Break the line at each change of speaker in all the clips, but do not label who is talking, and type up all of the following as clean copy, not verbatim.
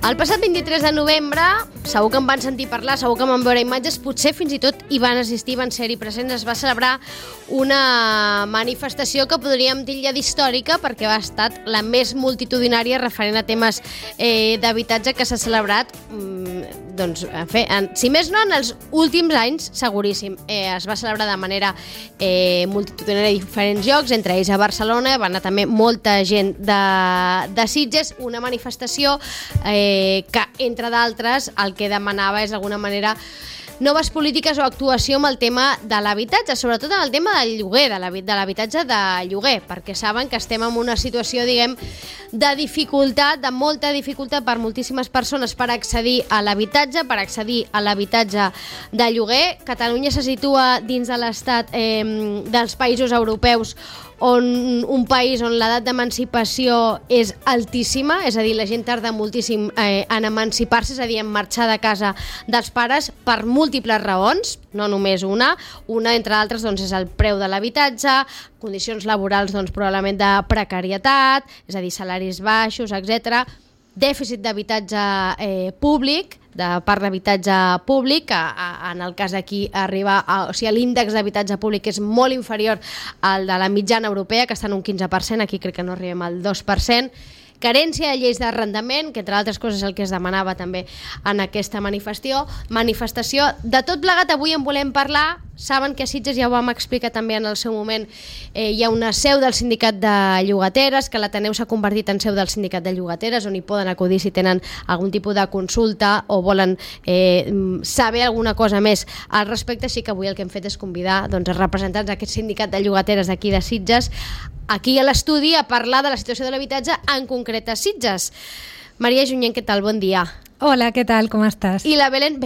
El passat 23 de novembre, segur que en van sentir parlar, segur que en van veure imatges, potser fins i tot hi van assistir, van ser-hi presents. Es va celebrar una manifestació que podríem dir d'històrica perquè ha estat la més multitudinària referent a temes d'habitatge que s'ha celebrat, doncs, si més no, en els últims anys, seguríssim. Es va celebrar de manera multitudinària a diferents llocs, entre ells a Barcelona, va anar també molta gent de Sitges, una manifestació que, entre d'altres, el que demanava és d'alguna manera noves polítiques o actuació amb el tema de l'habitatge, sobretot en el tema del lloguer, de l'habitatge de lloguer, perquè saben que estem en una situació, diguem, de dificultat, de molta dificultat per moltíssimes persones per accedir a l'habitatge, de lloguer. Catalunya se situa dins de l'estat dels països europeus un país on l'edat d'emancipació és altíssima, és a dir, la gent tarda moltíssim en emancipar-se, és a dir, en marxar de casa dels pares per múltiples raons, no només una entre altres doncs, és el preu de l'habitatge, condicions laborals doncs, probablement de precarietat, és a dir, salaris baixos, etc. Dèficit d'habitatge públic, de part d'habitatge públic, que en el cas d'aquí arriba l'índex d'habitatge públic és molt inferior al de la mitjana europea, que està en un 15%, aquí crec que no arribem al 2%, carència de lleis d'arrendament, que entre altres coses el que es demanava també en aquesta manifestació. De tot plegat avui en volem parlar. Saben que a Sitges, ja ho vam explicar també en el seu moment, hi ha una seu del sindicat de llogateres, que l'Ateneu s'ha convertit en seu del sindicat de llogateres, on hi poden acudir si tenen algun tipus de consulta o volen saber alguna cosa més al respecte. Així que avui el que hem fet és convidar doncs, els representants d'aquest sindicat de llogateres d'aquí de Sitges aquí a l'estudi a parlar de la situació de l'habitatge, en concret a Sitges. Maria Junyent, què tal? Bon dia.
Hola, què tal? Com estàs?
I la Belén...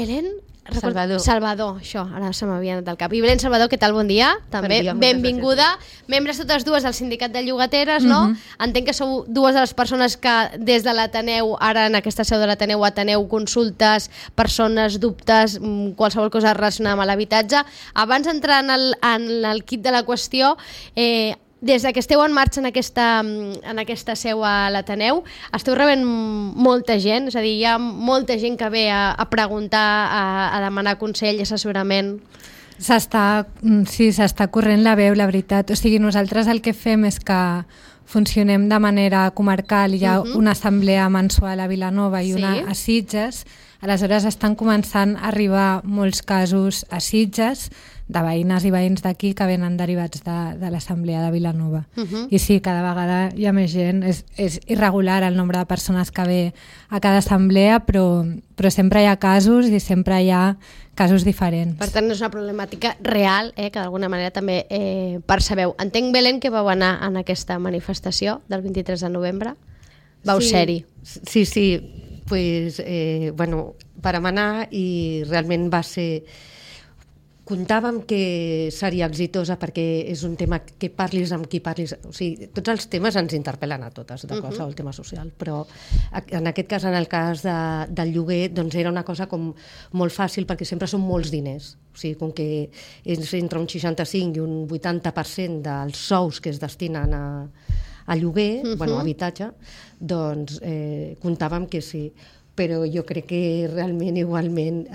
Salvador,
això, ara se m'havia anat del cap. I Belén Salvador, què tal? Bon dia, també.
Bon dia,
benvinguda. Membres totes dues del sindicat de llogateres, no? Entenc que sou dues de les persones que des de l'Ateneu, ara en aquesta seu de l'Ateneu, ateneu consultes, persones, dubtes, qualsevol cosa relacionada amb l'habitatge. Abans d'entrar en el kit de la qüestió, des que esteu en marxa en aquesta seu a l'Ateneu, esteu rebent molta gent, és a dir, hi ha molta gent que ve a preguntar, a demanar consell, assessorament.
S'està corrent la veu, la veritat. O sigui, nosaltres el que fem és que funcionem de manera comarcal, hi ha una assemblea mensual a Vilanova i una a Sitges, aleshores estan començant a arribar molts casos a Sitges, de veïnes i veïns d'aquí que venen derivats de l'Assemblea de Vilanova. I sí, cada vegada hi ha més gent. És irregular el nombre de persones que ve a cada assemblea, però sempre hi ha casos i sempre hi ha casos diferents.
Per tant, és una problemàtica real, que d'alguna manera també percebeu. Entenc, Belén, que vau anar en aquesta manifestació del 23 de novembre. Vau ser-hi.
Sí. Pues, vàrem anar i realment va ser... Comptàvem que seria exitosa perquè és un tema que parlis amb qui parlis, o sigui, tots els temes ens interpel·len a totes, de qualsevol tema social, però en aquest cas, en el cas del lloguer, doncs era una cosa com molt fàcil perquè sempre són molts diners, o sigui, com que és entre un 65 i un 80% dels sous que es destinen a lloguer, a habitatge, doncs comptàvem que sí, però jo crec que realment, igualment,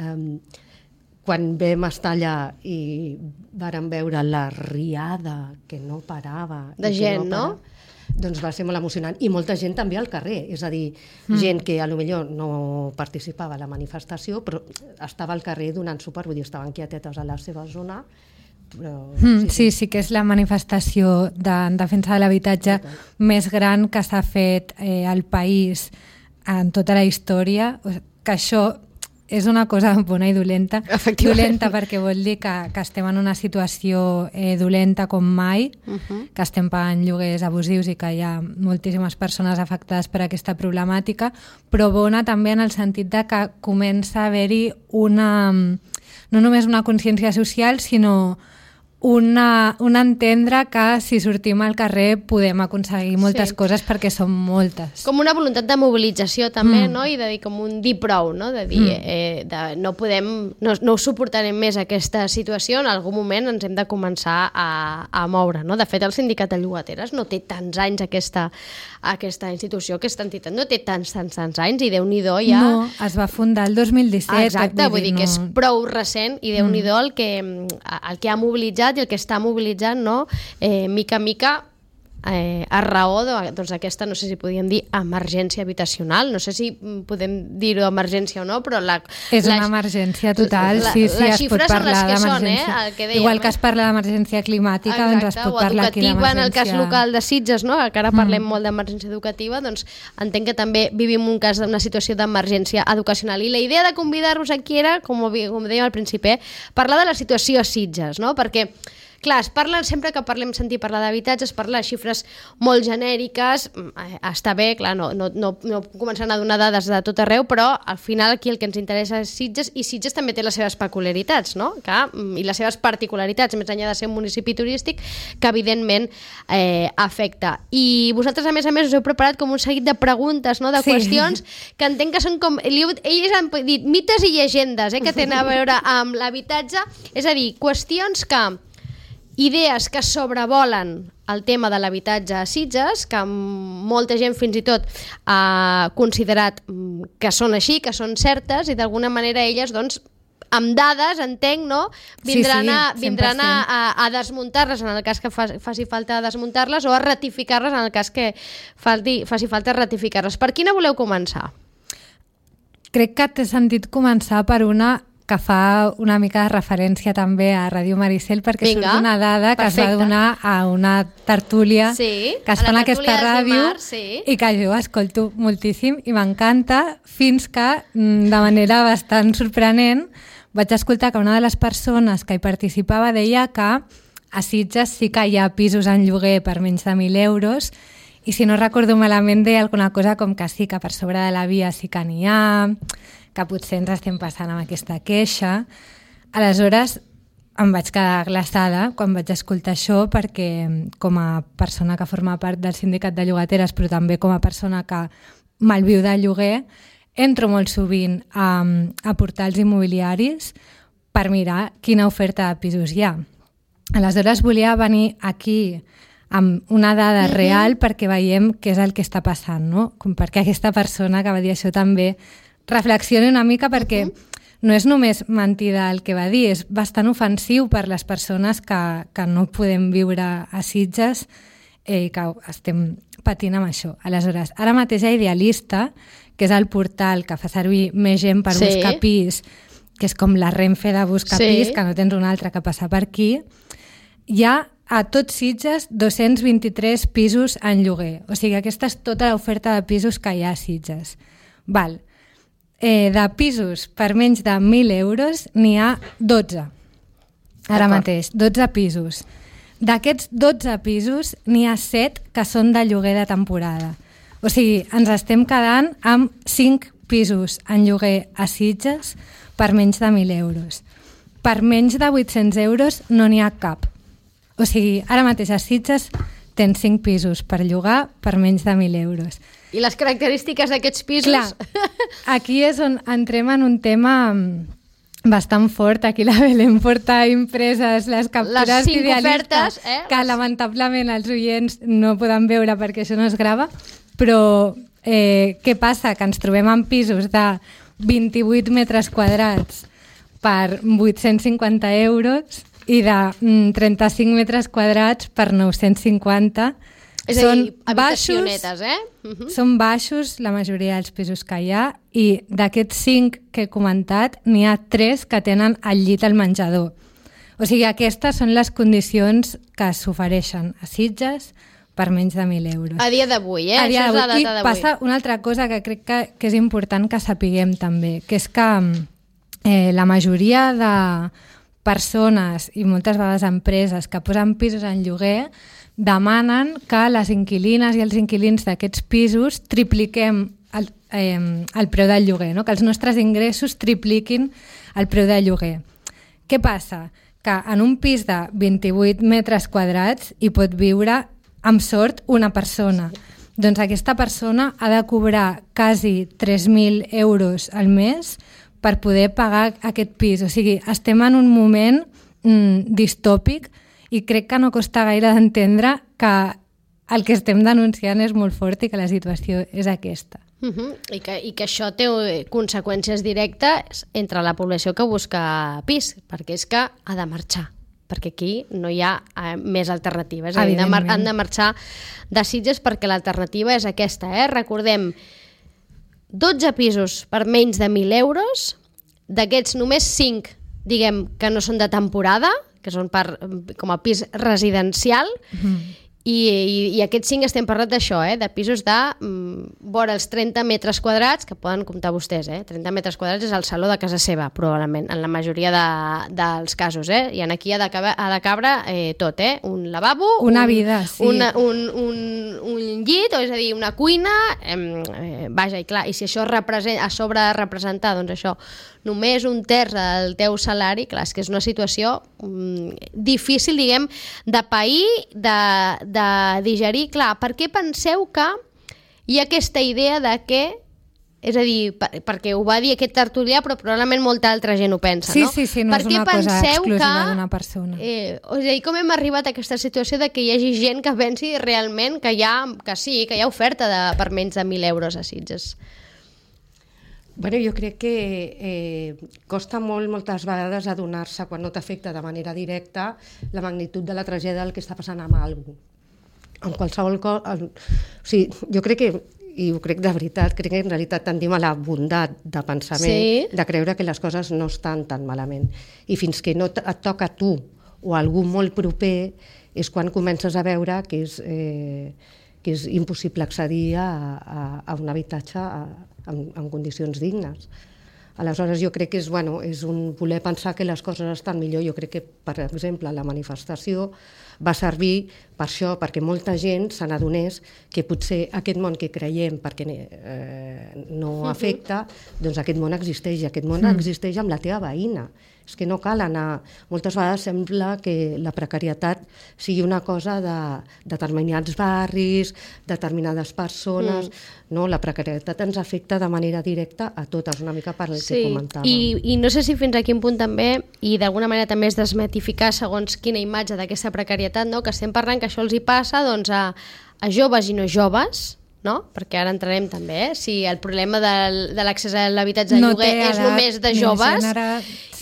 quan vam estar allà i vàrem veure la riada que no parava...
De gent, no?
Doncs va ser molt emocionant. I molta gent també al carrer, és a dir, gent que potser no participava a la manifestació, però estava al carrer donant suport, vull dir, estaven quietetes a la seva zona. Però,
sí que és la manifestació en defensa de l'habitatge més gran que s'ha fet al país en tota la història, que això és una cosa bona i dolenta. Dolenta perquè vol dir que estem en una situació dolenta com mai, que estem pagant lloguers abusius i que hi ha moltíssimes persones afectades per aquesta problemàtica, però bona també en el sentit de que comença a haver-hi no només una consciència social, sinó un entendre que si sortim al carrer podem aconseguir moltes coses perquè són moltes.
Com una voluntat de mobilització també, no? I de dir com un dir prou, no? De dir no ho suportarem més aquesta situació, en algun moment ens hem de començar a moure, no? De fet, el Sindicat de Llogateres no té tants anys aquesta institució, aquesta entitat no té tants anys i Déu-n'hi-do ja...
No, es va fundar el 2017.
Exacte, vull dir que és prou recent i Déu-n'hi-do el que ha mobilitzat i el que està mobilitzant, no? Mica a mica, a raó d'aquesta, no sé si podíem dir emergència habitacional, no sé si podem dir-ho emergència o no, però
és una emergència total, sí, es pot parlar d'emergència. Igual que es parla d'emergència climàtica, doncs es pot parlar aquí d'emergència.
En el cas local de Sitges, no? Que ara parlem molt d'emergència educativa, doncs entenc que també vivim una situació d'emergència educacional. I la idea de convidar-vos aquí era, com dèiem al principi, parlar de la situació a Sitges, no? Perquè clar, sempre que sentir parlar d'habitatge, es parla de xifres molt genèriques, està bé, clar, no començant a donar dades de tot arreu, però al final aquí el que ens interessa és Sitges, i Sitges també té les seves peculiaritats, no? I les seves particularitats, més enllà de ser un municipi turístic, que evidentment afecta. I vosaltres, a més, us heu preparat com un seguit de preguntes, no? De qüestions que entenc que són com... Ells han dit mites i llegendes, que tenen a veure amb l'habitatge, és a dir, qüestions que... idees que sobrevolen el tema de l'habitatge a Sitges, que molta gent fins i tot ha considerat que són així, que són certes, i d'alguna manera elles, doncs, amb dades, entenc, no? Vindran a desmuntar-les en el cas que faci falta desmuntar-les, o a ratificar-les en el cas que faci falta ratificar-les. Per quina voleu començar?
Crec que t'he sentit començar per una que fa una mica de referència també a Ràdio Maricel, perquè surt una dada que es va donar a una tertúlia que es fa en aquesta ràdio i que jo escolto moltíssim i m'encanta, fins que de manera bastant sorprenent vaig escoltar que una de les persones que hi participava deia que a Sitges sí que hi ha pisos en lloguer per menys de 1.000 euros, i si no recordo malament deia alguna cosa com que sí, que per sobre de la via sí que n'hi ha, que potser ens estem passant amb aquesta queixa. Aleshores em vaig quedar glaçada quan vaig escoltar això, perquè com a persona que forma part del Sindicat de Llogateres, però també com a persona que malviu de lloguer, entro molt sovint a portals immobiliaris per mirar quina oferta de pisos hi ha. Aleshores volia venir aquí amb una dada real perquè veiem què és el que està passant, no? Com perquè aquesta persona que va dir això també reflexioni una mica, perquè no és només mentida el que va dir, és bastant ofensiu per les persones que no podem viure a Sitges i que estem patint amb això. Aleshores, ara mateix a Idealista, que és el portal que fa servir més gent per buscar pis, que és com la Renfe de buscar pis, que no tens un altre que passar per aquí, hi ha a tot Sitges 223 pisos en lloguer. O sigui, aquesta és tota l'oferta de pisos que hi ha a Sitges. Val. De pisos per menys de 1.000 euros n'hi ha 12. Ara mateix, 12 pisos. D'aquests 12 pisos n'hi ha 7 que són de lloguer de temporada. O sigui, ens estem quedant amb 5 pisos en lloguer a Sitges per menys de 1.000 euros. Per menys de 800 euros no n'hi ha cap. O sigui, ara mateix a Sitges tens 5 pisos per llogar per menys de 1.000 euros.
I les característiques d'aquests pisos...
Clar, aquí és on entrem en un tema bastant fort. Aquí la Belén porta impreses les captures
les 5 ofertes,
que lamentablement els oients no poden veure perquè això no es grava, però què passa? Que ens trobem en pisos de 28 metres quadrats per 850 euros i de 35 metres quadrats per 950.
És a dir, habitacionetes,
Són baixos la majoria dels pisos que hi ha, i d'aquests 5 que he comentat n'hi ha 3 que tenen el llit al menjador. O sigui, aquestes són les condicions que s'ofereixen a Sitges per menys de 1.000 euros.
A dia d'avui,
A dia d'avui. I passa una altra cosa que crec que és important que sapiguem també, que és que la majoria de persones i moltes vegades empreses que posen pisos en lloguer demanen que les inquilines i els inquilins d'aquests pisos tripliquem el preu del lloguer, no? Que els nostres ingressos tripliquin el preu del lloguer. Què passa? que en un pis de 28 metres quadrats hi pot viure, amb sort, una persona. Doncs aquesta persona ha de cobrar quasi 3.000 euros al mes per poder pagar aquest pis. O sigui, estem en un moment distòpic i crec que no costa gaire d'entendre que el que estem denunciant és molt fort i que la situació és aquesta.
I que això té conseqüències directes entre la població que busca pis, perquè és que ha de marxar, perquè aquí no hi ha més alternatives. Han de marxar de Sitges perquè l'alternativa és aquesta. Recordem, 12 pisos per menys de 1.000 euros, d'aquests només 5, diguem, que no són de temporada, que són com a pis residencial, i aquests 5 estem parlant d'això, de pisos de vora els 30 metres quadrats, que poden comptar vostès, 30 metres quadrats és el saló de casa seva, probablement, en la majoria dels casos, i aquí ha de cabre tot, un lavabo,
una vida, sí.
un llit, és a dir, una cuina, vaja, i clar, i si això a sobre de representar, doncs això, només un terç del teu salari, clar, és que és una situació difícil, diguem, de pair, de digerir. Clar, per què penseu que hi ha aquesta idea de que, és a dir, perquè ho va dir aquest tertulià, però probablement molta altra gent ho pensa, no?
Sí, no és una cosa exclusiva d'una persona.
És a dir, com hem arribat a aquesta situació de que hi hagi gent que pensi realment que hi ha oferta per menys de 1.000 euros a Sitges?
Bueno, jo crec que costa moltes vegades adonar-se, quan no t'afecta de manera directa, la magnitud de la tragèdia del que està passant amb algú. En qualsevol cosa... O sigui, jo crec que, i ho crec de veritat, crec que en realitat tendim a la bondat de pensament, de creure que les coses no estan tan malament. I fins que no et toca a tu o a algú molt proper és quan comences a veure que és impossible accedir a un habitatge en condicions dignes. Aleshores, jo crec que és un voler pensar que les coses estan millor. Jo crec que, per exemple, la manifestació va servir per això, perquè molta gent se n'adonés que potser aquest món que creiem perquè no afecta, doncs aquest món existeix, i aquest món existeix amb la teva veïna. És que no cal anar... Moltes vegades sembla que la precarietat sigui una cosa de determinats barris, determinades persones... No, la precarietat ens afecta de manera directa a totes, una mica per el que comentàvem.
I no sé si fins a quin punt també, i d'alguna manera també és desmitificar segons quina imatge d'aquesta precarietat, no? Que estem parlant que això els hi passa doncs, a joves i no joves, no? Perquè ara entrarem també, si el problema de l'accés a l'habitatge de lloguer és només de joves,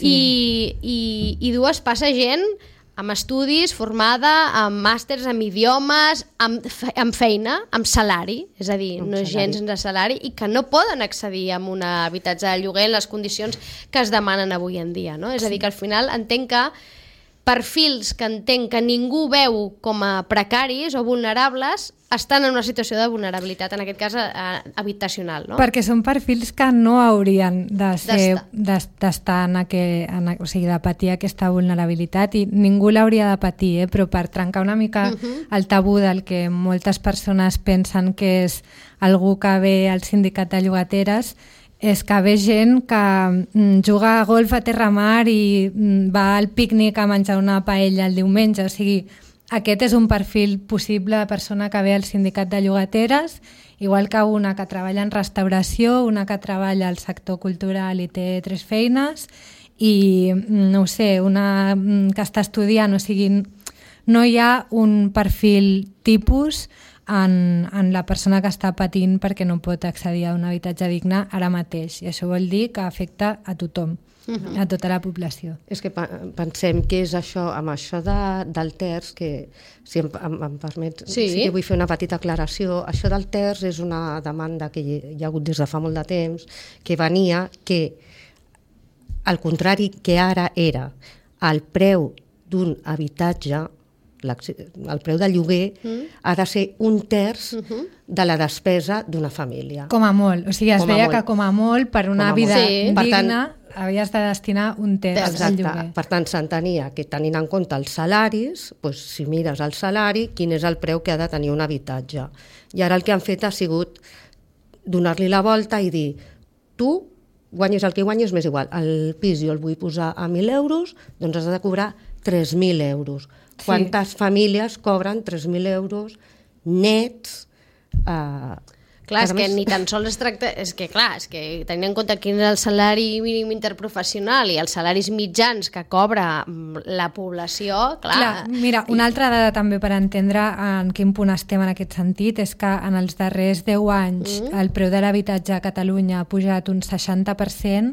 i dues passa gent amb estudis, formada, amb màsters, amb idiomes, amb feina, amb salari, és a dir, no és gent sense salari, i que no poden accedir a un habitatge de lloguer en les condicions que es demanen avui en dia, no? És a dir, que al final entenc que perfils que entenc que ningú veu com a precaris o vulnerables estan en una situació de vulnerabilitat, en aquest cas habitacional, no?
Perquè són perfils que no haurien d'estar o sigui, de patir aquesta vulnerabilitat, i ningú l'hauria de patir, però per trencar una mica el tabú del que moltes persones pensen que és algú que ve al sindicat de llogateres, és que ve gent que juga a golf a Terramar i va al pícnic a menjar una paella el diumenge. O sigui, aquest és un perfil possible de persona que ve al sindicat de llogateres, igual que una que treballa en restauració, una que treballa al sector cultural i té 3 feines, i no ho sé, una que està estudiant. O sigui, no hi ha un perfil tipus en la persona que està patint perquè no pot accedir a un habitatge digne ara mateix, i això vol dir que afecta a tothom, a tota la població.
És que pensem que és això, amb això del terç, que si em permets, sí que vull fer una petita aclaració. Això del terç és una demanda que hi ha hagut des de fa molt de temps, que venia que, al contrari que ara era el preu d'un habitatge, el preu del lloguer ha de ser un terç de la despesa d'una família.
Com a molt. O sigui, es deia que com a molt per una vida digna havies de destinar un terç al lloguer.
Per tant, s'entenia que tenint en compte els salaris, si mires el salari, quin és el preu que ha de tenir un habitatge. I ara el que han fet ha sigut donar-li la volta i dir, tu guanyes el que guanyes, m'és igual, el pis jo el vull posar a 1.000 euros, doncs has de cobrar 3.000 euros. Quantes famílies cobren 3.000 euros nets?
Clar, és que ni tan sols es tracta... És que, clar, tenint en compte quin és el salari mínim interprofessional i els salaris mitjans que cobra la població, clar...
Mira, una altra dada també per entendre en quin punt estem en aquest sentit és que en els darrers 10 anys el preu de l'habitatge a Catalunya ha pujat un 60%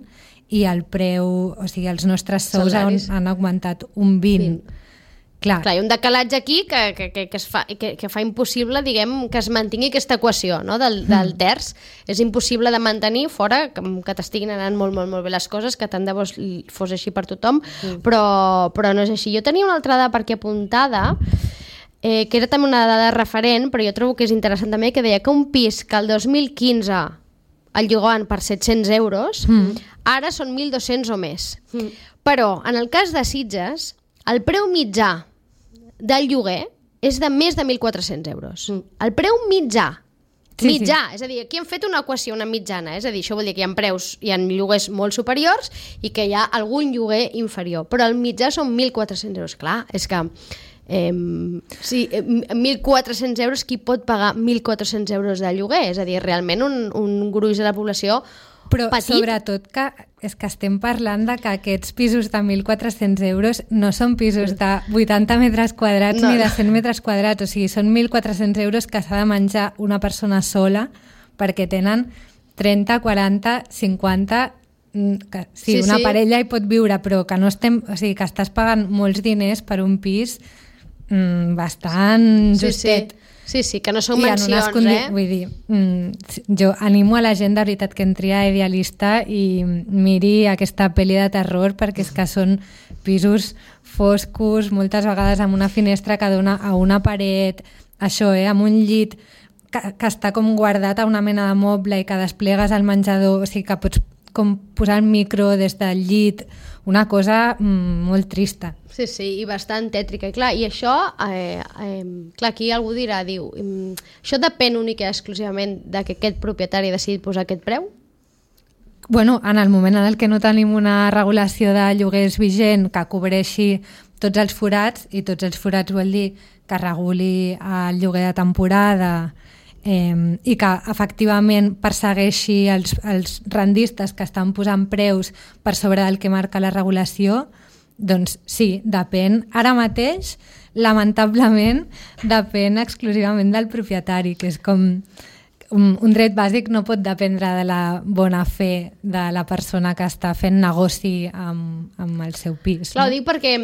i el preu, o sigui, els nostres sous han augmentat un 20%. Clar,
hi ha un decalatge aquí que fa impossible, diguem, que es mantingui aquesta equació, no? del terç. És impossible de mantenir fora que t'estiguin anant molt, molt, molt bé les coses, que tant de bo fos així per tothom, però no és així. Jo tenia una altra dada per aquí apuntada, que era també una dada referent, però jo trobo que és interessant també, que deia que un pis que el 2015 el llogaven per 700 euros, ara són 1.200 o més. Però, en el cas de Sitges, el preu mitjà del lloguer és de més de 1.400 euros. El preu mitjà. Mitjà, és a dir, aquí hem fet una equació, una mitjana, és a dir, això vol dir que hi ha preus, hi ha lloguers molt superiors i que hi ha algun lloguer inferior, però el mitjà són 1.400 euros. Clar, és que 1.400 euros, qui pot pagar 1.400 euros de lloguer? És a dir, realment un gruix de la població
però
petit.
Sobretot que és que estem parlant de que aquests pisos de 1.400 euros no són pisos de 80 metres quadrats ni de 100 metres quadrats, o sigui, són 1.400 euros que s'ha de menjar una persona sola perquè tenen 30, 40, 50... Una parella hi pot viure, però que no estem... O sigui, que estàs pagant molts diners per un pis bastant justet.
Sí, que no són mansions,
Vull dir, jo animo a la gent de veritat que entri a Idealista i miri aquesta pel·li de terror, perquè és que són pisos foscos, moltes vegades amb una finestra que dona a una paret, això, amb un llit que està com guardat a una mena de moble i que desplegues al menjador, o sigui que pots com posar el micro des del llit, una cosa molt trista.
Sí, i bastant tètrica. I clar, i això, clar, aquí algú dirà, això depèn únic i exclusivament de que aquest propietari ha decidit posar aquest preu?
Bueno, en el moment en el que no tenim una regulació de lloguers vigent que cobreixi tots els forats, i tots els forats vol dir que reguli el lloguer de temporada i que efectivament persegueixi els rendistes que estan posant preus per sobre del que marca la regulació, doncs sí, depèn. Ara mateix, lamentablement, depèn exclusivament del propietari, que és com un dret bàsic no pot dependre de la bona fe de la persona que està fent negoci amb el seu pis.
Clar, ho dic perquè,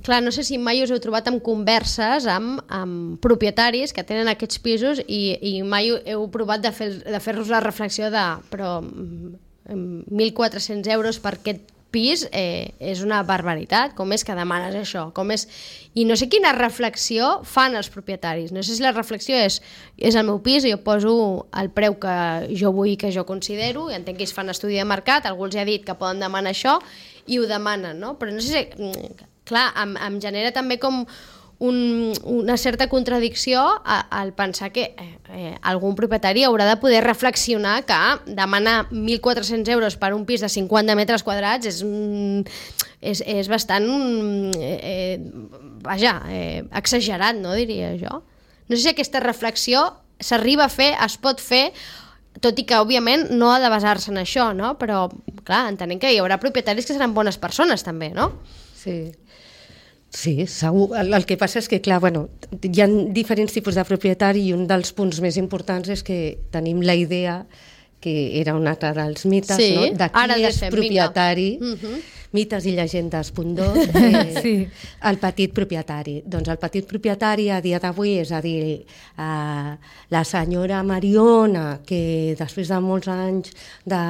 clar, no sé si mai us heu trobat en converses amb propietaris que tenen aquests pisos i mai heu provat de fer-los la reflexió de però 1.400 euros per aquest pis és una barbaritat, com és que demanes això? I no sé quina reflexió fan els propietaris, no sé si la reflexió és el meu pis, jo poso el preu que jo vull, que jo considero, i entenc que ells fan estudi de mercat, algú els ha dit que poden demanar això i ho demanen, no? Però no sé si, clar, em genera també com una certa contradicció al pensar que algun propietari haurà de poder reflexionar que demanar 1.400 euros per un pis de 50 metres quadrats és bastant exagerat, no diria jo. No sé si aquesta reflexió s'arriba a fer, es pot fer, tot i que òbviament no ha de basar-se en això, no? Però clar, entenem que hi haurà propietaris que seran bones persones també, no?
Sí, segur. El que passa és que, clar, hi ha diferents tipus de propietari i un dels punts més importants és que tenim la idea, que era un altre dels mites, no? De qui és propietari, mites i llegendes.2, el petit propietari. Doncs el petit propietari a dia d'avui, és a dir, la senyora Mariona, que després de molts anys de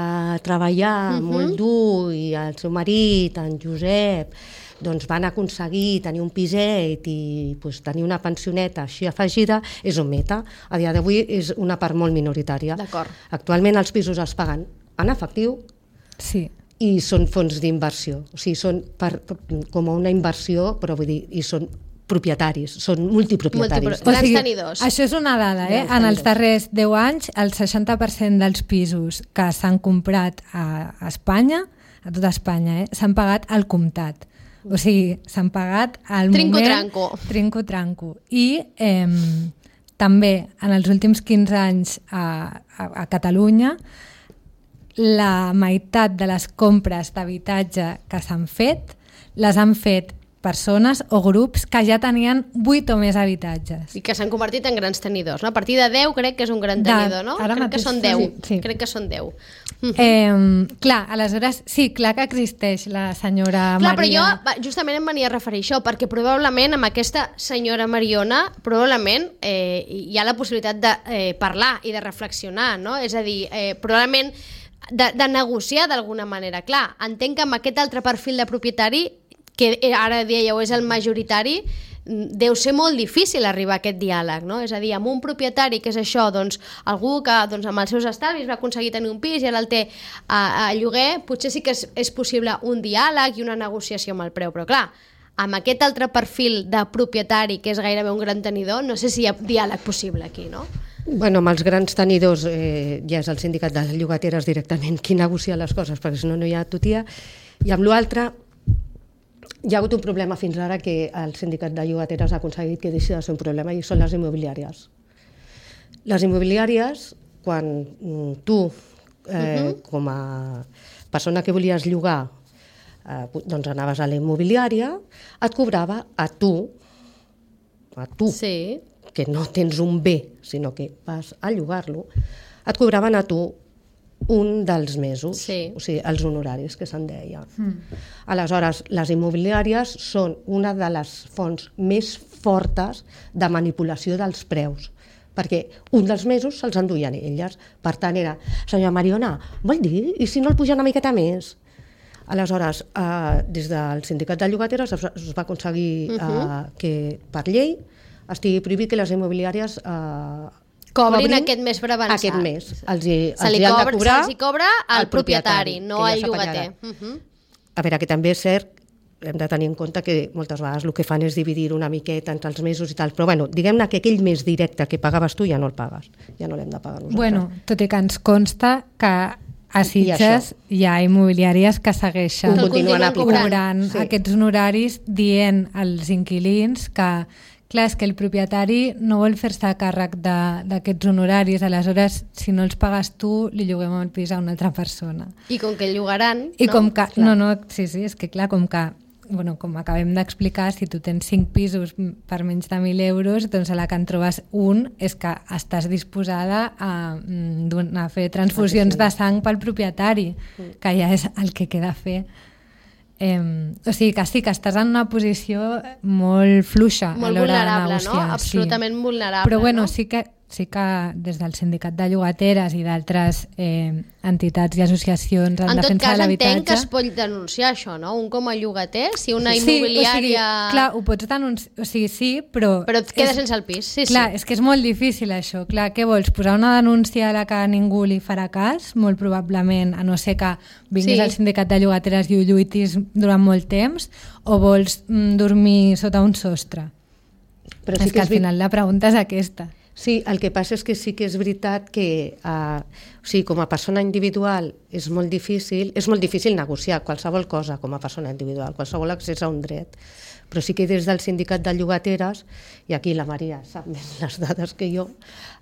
treballar molt dur, i el seu marit, en Josep, doncs van aconseguir tenir un piset i tenir una pensioneta així afegida, és un mite. A dia d'avui és una part molt minoritària.
D'acord.
Actualment els pisos es paguen en efectiu i són fons d'inversió. O sigui, són com una inversió, però vull dir, i són propietaris, són multipropietaris.
Grans tenidors.
Això és una dada, En els darrers 10 anys, el 60% dels pisos que s'han comprat a Espanya, a tota Espanya, s'han pagat al comptat. O sigui, s'han pagat al moment... Trinco-tranco. I també en els últims 15 anys a Catalunya la meitat de les compres d'habitatge que s'han fet les han fet persones o grups que ja tenien 8 o més habitatges.
I que s'han convertit en grans tenidors, no? A partir de 10 crec que és un gran tenidor, no? Crec que són 10. Sí. Crec que són 10.
Clar, aleshores, sí, clar que existeix la senyora Maria...
Clar, però jo justament em venia a referir a això, perquè probablement amb aquesta senyora Mariona probablement hi ha la possibilitat de parlar i de reflexionar, no? És a dir, probablement de negociar d'alguna manera. Clar, entenc que amb aquest altre perfil de propietari que ara dièieu és el majoritari, deu ser molt difícil arribar a aquest diàleg, no? És a dir, amb un propietari que és això, doncs, algú que doncs, amb els seus estalvis va aconseguir tenir un pis i ara el té a lloguer, potser sí que és possible un diàleg i una negociació amb el preu, però clar, amb aquest altre perfil de propietari que és gairebé un gran tenidor, no sé si hi ha diàleg possible aquí, no?
Bueno, amb els grans tenidors ja és el sindicat de les llogateres directament qui negocia les coses, perquè si no, no hi ha tutia, i amb l'altre hi ha hagut un problema fins ara que el sindicat de llogateres ha aconseguit que deixi de ser un problema i són les immobiliàries. Les immobiliàries, quan tu, com a persona que volies llogar, doncs anaves a la immobiliària, et cobrava a tu,
sí,
que no tens un bé, sinó que vas a llogar-lo, et cobraven a tu un dels mesos,
sí.
O sigui, els honoraris que se'n deia. Aleshores, les immobiliàries són una de les fonts més fortes de manipulació dels preus, perquè un dels mesos se'ls enduien elles. Per tant, era, senyora Mariona, vol dir? I si no el puja una miqueta més? Aleshores, des del sindicat de llogateres es va aconseguir que per llei estigui prohibit que les immobiliàries
cobrin aquest mes per avançar.
Aquest mes. Se'ls
cobra al propietari, no al llogater.
A veure, que també és cert, hem de tenir en compte que moltes vegades el que fan és dividir una miqueta entre els mesos i tal, però bueno, diguem-ne que aquell mes directe que pagaves tu ja no el pagues, ja no l'hem de pagar nosaltres.
Bueno, tot i que ens consta que a Sitges hi ha immobiliàries que segueixen cobrant aquests honoraris dient als inquilins que clar, és que el propietari no vol fer-se càrrec d'aquests honoraris, aleshores, si no els pagues tu, li lloguem el pis a una altra persona.
I com que el llogaran,
I no? Com que, sí, és que clar, com acabem d'explicar, si tu tens 5 pisos per menys de 1.000 euros, doncs a la que en trobes un és que estàs disposada a fer transfusions de sang pel propietari, que ja és el que queda a fer. O sigui que sí, que estàs en una posició molt fluixa a l'hora de negociar.
No? Absolutament vulnerable.
Però bueno, sí que des del sindicat de llogateres i d'altres entitats i associacions en defensa de l'habitatge...
En tot cas entenc que es pot denunciar això, no? Un com a llogater, si una immobiliària...
Sí, o sigui, clar, ho pots denunciar, o sigui, sí, però...
Però et quedes sense el pis, sí.
Clar, és que és molt difícil això, clar, què vols? Posar una denúncia a la que ningú li farà cas, molt probablement, a no ser que vinguis al sindicat de llogateres i ho lluitis durant molt temps, o vols dormir sota un sostre? Però sí és que al final la pregunta és aquesta.
Sí, el que passa és que sí que és veritat que com a persona individual és molt difícil negociar qualsevol cosa com a persona individual, qualsevol accés a un dret. Però sí que des del sindicat de llogateres, i aquí la Maria sap més les dades que jo,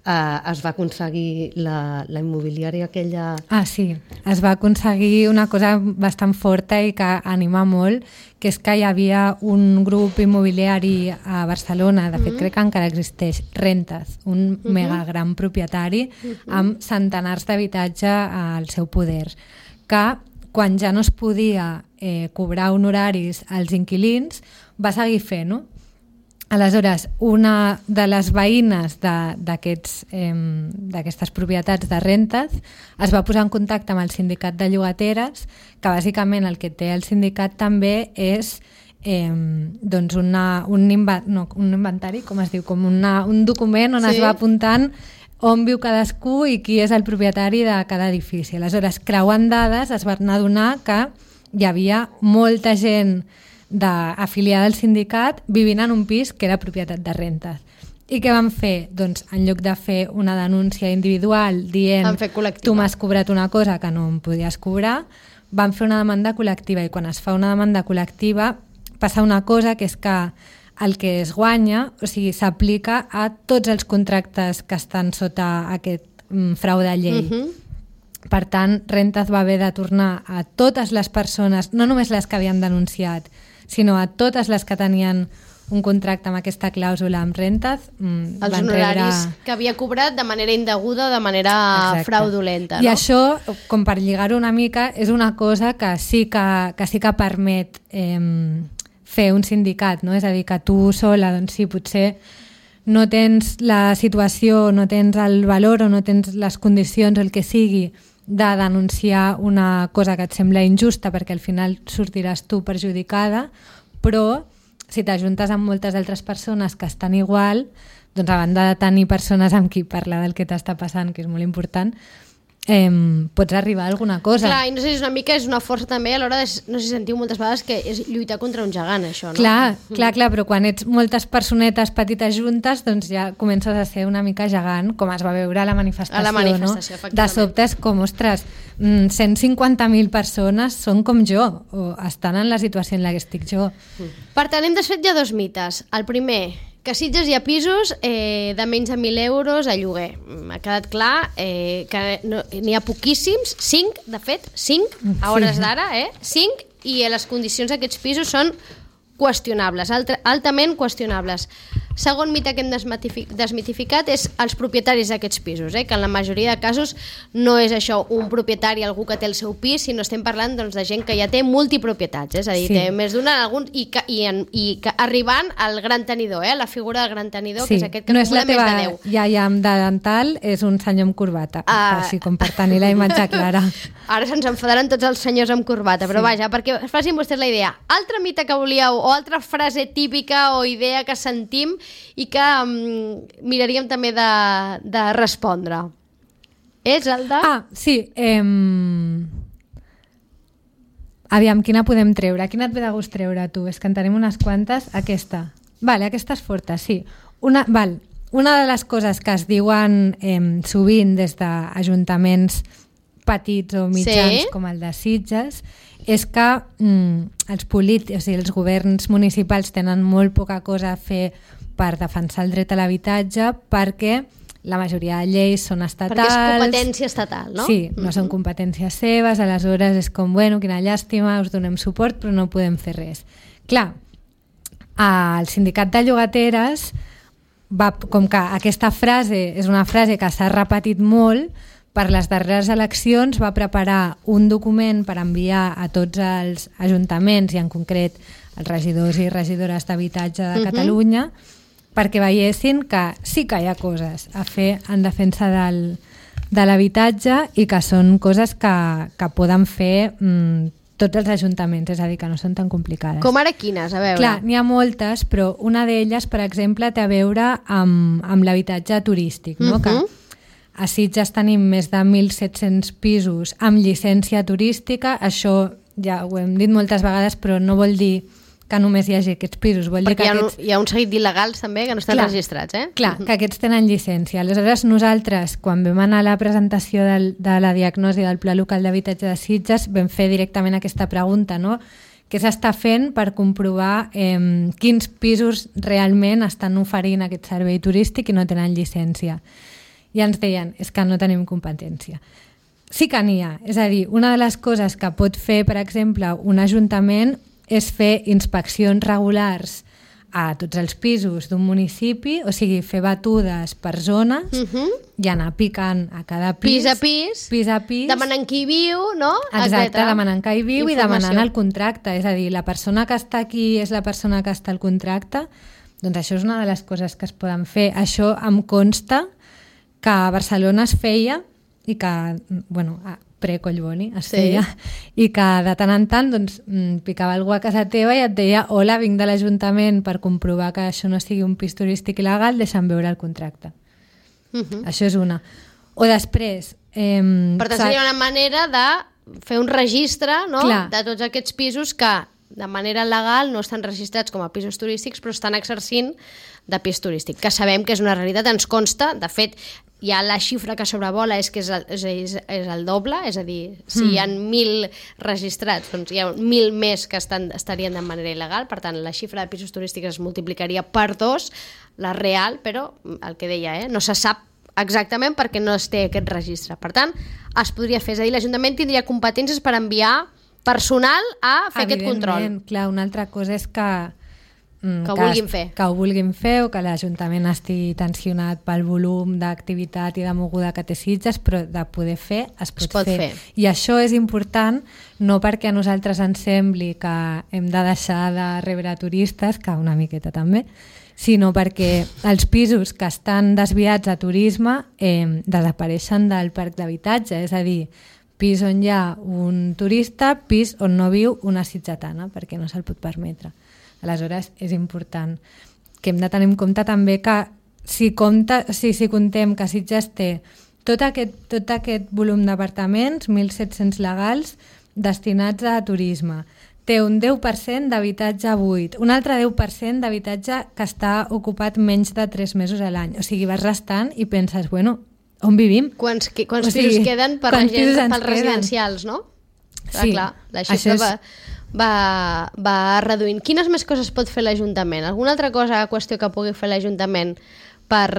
es va aconseguir la immobiliària aquella...
Sí, es va aconseguir una cosa bastant forta i que anima molt, que és que hi havia un grup immobiliari a Barcelona, de fet crec que encara existeix, Rentes, un mega gran propietari amb centenars d'habitatge al seu poder, que quan ja no es podia cobrar honoraris als inquilins, va seguir fent-ho. Aleshores, una de les veïnes d'aquestes propietats de Rentes es va posar en contacte amb el sindicat de llogateres, que bàsicament el que té el sindicat també és doncs un inventari, com es diu, com un document on es va apuntant on viu cadascú i qui és el propietari de cada edifici. Aleshores, creuant dades, es van adonar que hi havia molta gent afiliada al sindicat vivint en un pis que era propietat de Rentes. I què van fer? Doncs en lloc de fer una denúncia individual dient tu m'has cobrat una cosa que no em podies cobrar, van fer una demanda col·lectiva, i quan es fa una demanda col·lectiva passa una cosa, que és que el que es guanya, o sigui, s'aplica a tots els contractes que estan sota aquest frau de llei. Per tant, Rentas va haver de tornar a totes les persones, no només les que havien denunciat, sinó a totes les que tenien un contracte amb aquesta clàusula amb Rentas.
Els honoraris que havia cobrat de manera indeguda o de manera fraudulenta.
I això, com per lligar-ho una mica, és una cosa que sí que permet fer un sindicat, no? És a dir, que tu sola, doncs sí, potser no tens la situació, no tens el valor o no tens les condicions o el que sigui de denunciar una cosa que et sembla injusta, perquè al final sortiràs tu perjudicada, però si t'ajuntes amb moltes altres persones que estan igual, doncs a banda de tenir persones amb qui parlar del que t'està passant, que és molt important, pots arribar a alguna cosa.
Clar, i no sé si és una força també a l'hora de, no sé si sentiu moltes vegades que és lluitar contra un gegant, això, no?
Clar, però quan ets moltes personetes petites juntes, doncs ja comences a ser una mica gegant, com es va veure a la manifestació, no? De sobte és com, ostres, 150.000 persones són com jo, o estan en la situació en la que estic jo.
Per tant, hem desfet ja 2 mites. El primer, que a Sitges hi ha pisos de menys de 1.000 euros a lloguer. M'ha quedat clar que n'hi ha poquíssims, 5, de fet, 5, a hores d'ara, 5, i les condicions d'aquests pisos són qüestionables, altament qüestionables. Segon mite que hem desmitificat és els propietaris d'aquests pisos, que en la majoria de casos no és això un propietari, algú que té el seu pis, sinó estem parlant doncs, de gent que ja té multipropietats, és a dir, té més d'una i que arribant al gran tenidor, la figura del gran tenidor, que és aquest que acumula més de 10.
No és la teva iaia amb dental, és un senyor amb corbata, així com per tenir la imatge clara.
Ara se'ns enfadaran tots els senyors amb corbata, però vaja, perquè facin vostès la idea. Altra mite que volíeu, o altra frase típica o idea que sentim i que miraríem també de respondre. És el de...
Sí. Aviam, quina podem treure? Quina et ve de gust treure, tu? És que en tenim unes quantes. Aquesta. Vale, aquesta és forta, sí. Una de les coses que es diuen sovint des d'ajuntaments petits o mitjans com el de Sitges és que els governs municipals tenen molt poca cosa a fer per defensar el dret a l'habitatge perquè la majoria de lleis són estatals.
Perquè és competència estatal, no?
Sí, no són competències seves, aleshores és com, bueno, quina llàstima, us donem suport però no podem fer res. Clar, el sindicat de llogateres, com que aquesta frase és una frase que s'ha repetit molt, per les darreres eleccions va preparar un document per enviar a tots els ajuntaments i en concret els regidors i regidores d'habitatge de Catalunya perquè veiessin que sí que hi ha coses a fer en defensa de l'habitatge i que són coses que poden fer tots els ajuntaments, és a dir, que no són tan complicades.
Com ara quines? A veure.
Clar, n'hi ha moltes, però una d'elles, per exemple, té a veure amb l'habitatge turístic, no? Que a Sitges tenim més de 1.700 pisos amb llicència turística. Això ja ho hem dit moltes vegades, però no vol dir que només hi hagi aquests pisos. Vol dir que
hi ha un seguit d'il·legals també que no estan registrats.
Clar, que aquests tenen llicència. Aleshores, nosaltres, quan vam anar a la presentació de la diagnosi del Pla Local d'Habitatge de Sitges, vam fer directament aquesta pregunta, no? Què s'està fent per comprovar quins pisos realment estan oferint aquest servei turístic i no tenen llicència? I ens deien, és que no tenim competència. Sí que n'hi ha. És a dir, una de les coses que pot fer, per exemple, un ajuntament és fer inspeccions regulars a tots els pisos d'un municipi, o sigui, fer batudes per zones i anar picant a cada pis. Pis a pis.
Demanant qui viu, no?
Exacte, demanant qui viu i demanant el contracte. És a dir, la persona que està aquí és la persona que està al contracte. Doncs això és una de les coses que es poden fer. Això em consta que a Barcelona es feia i que, bueno, pre-Collboni es feia, i que de tant en tant doncs, picava algú a casa teva i et deia hola, vinc de l'Ajuntament per comprovar que això no sigui un pis turístic il·legal, deixa'm veure el contracte. Això és una. O després...
Per tant, seria una manera de fer un registre, no?, de tots aquests pisos que de manera legal no estan registrats com a pisos turístics però estan exercint de pis turístic, que sabem que és una realitat, ens consta, de fet hi ha la xifra que sobrevola és que és el doble, és a dir, si hi ha 1.000 registrats, doncs hi ha 1.000 més que estarien de manera il·legal, per tant la xifra de pisos turístics es multiplicaria per 2, la real, però el que deia, no se sap exactament perquè no es té aquest registre. Per tant, es podria fer, és a dir, l'Ajuntament tindria competències per enviar personal a fer aquest control.
Evidentment, clar, una altra cosa és que
ho vulguin fer.
Que ho vulguin fer o que l'Ajuntament estigui tensionat pel volum d'activitat i de moguda que té Sitges, però de poder fer es pot fer. I això és important no perquè a nosaltres ens sembli que hem de deixar de rebre turistes, que una miqueta també, sinó perquè els pisos que estan desviats a turisme desapareixen del parc d'habitatge, és a dir, pis on hi ha un turista, pis on no viu una sitgetana, perquè no se'l pot permetre. Aleshores, és important que hem de tenir en compte també que si contem que Sitges té tot aquest volum d'apartaments, 1.700 legals, destinats a turisme, té un 10% d'habitatge buit, un altre 10% d'habitatge que està ocupat menys de 3 mesos a l'any. O sigui, vas restant i penses, bueno, on vivim?
Quants pisos queden per la gent, pels residencials, no?
Sí,
clar, la xifra va reduint. Quines més coses pot fer l'Ajuntament? Alguna altra qüestió que pugui fer l'Ajuntament per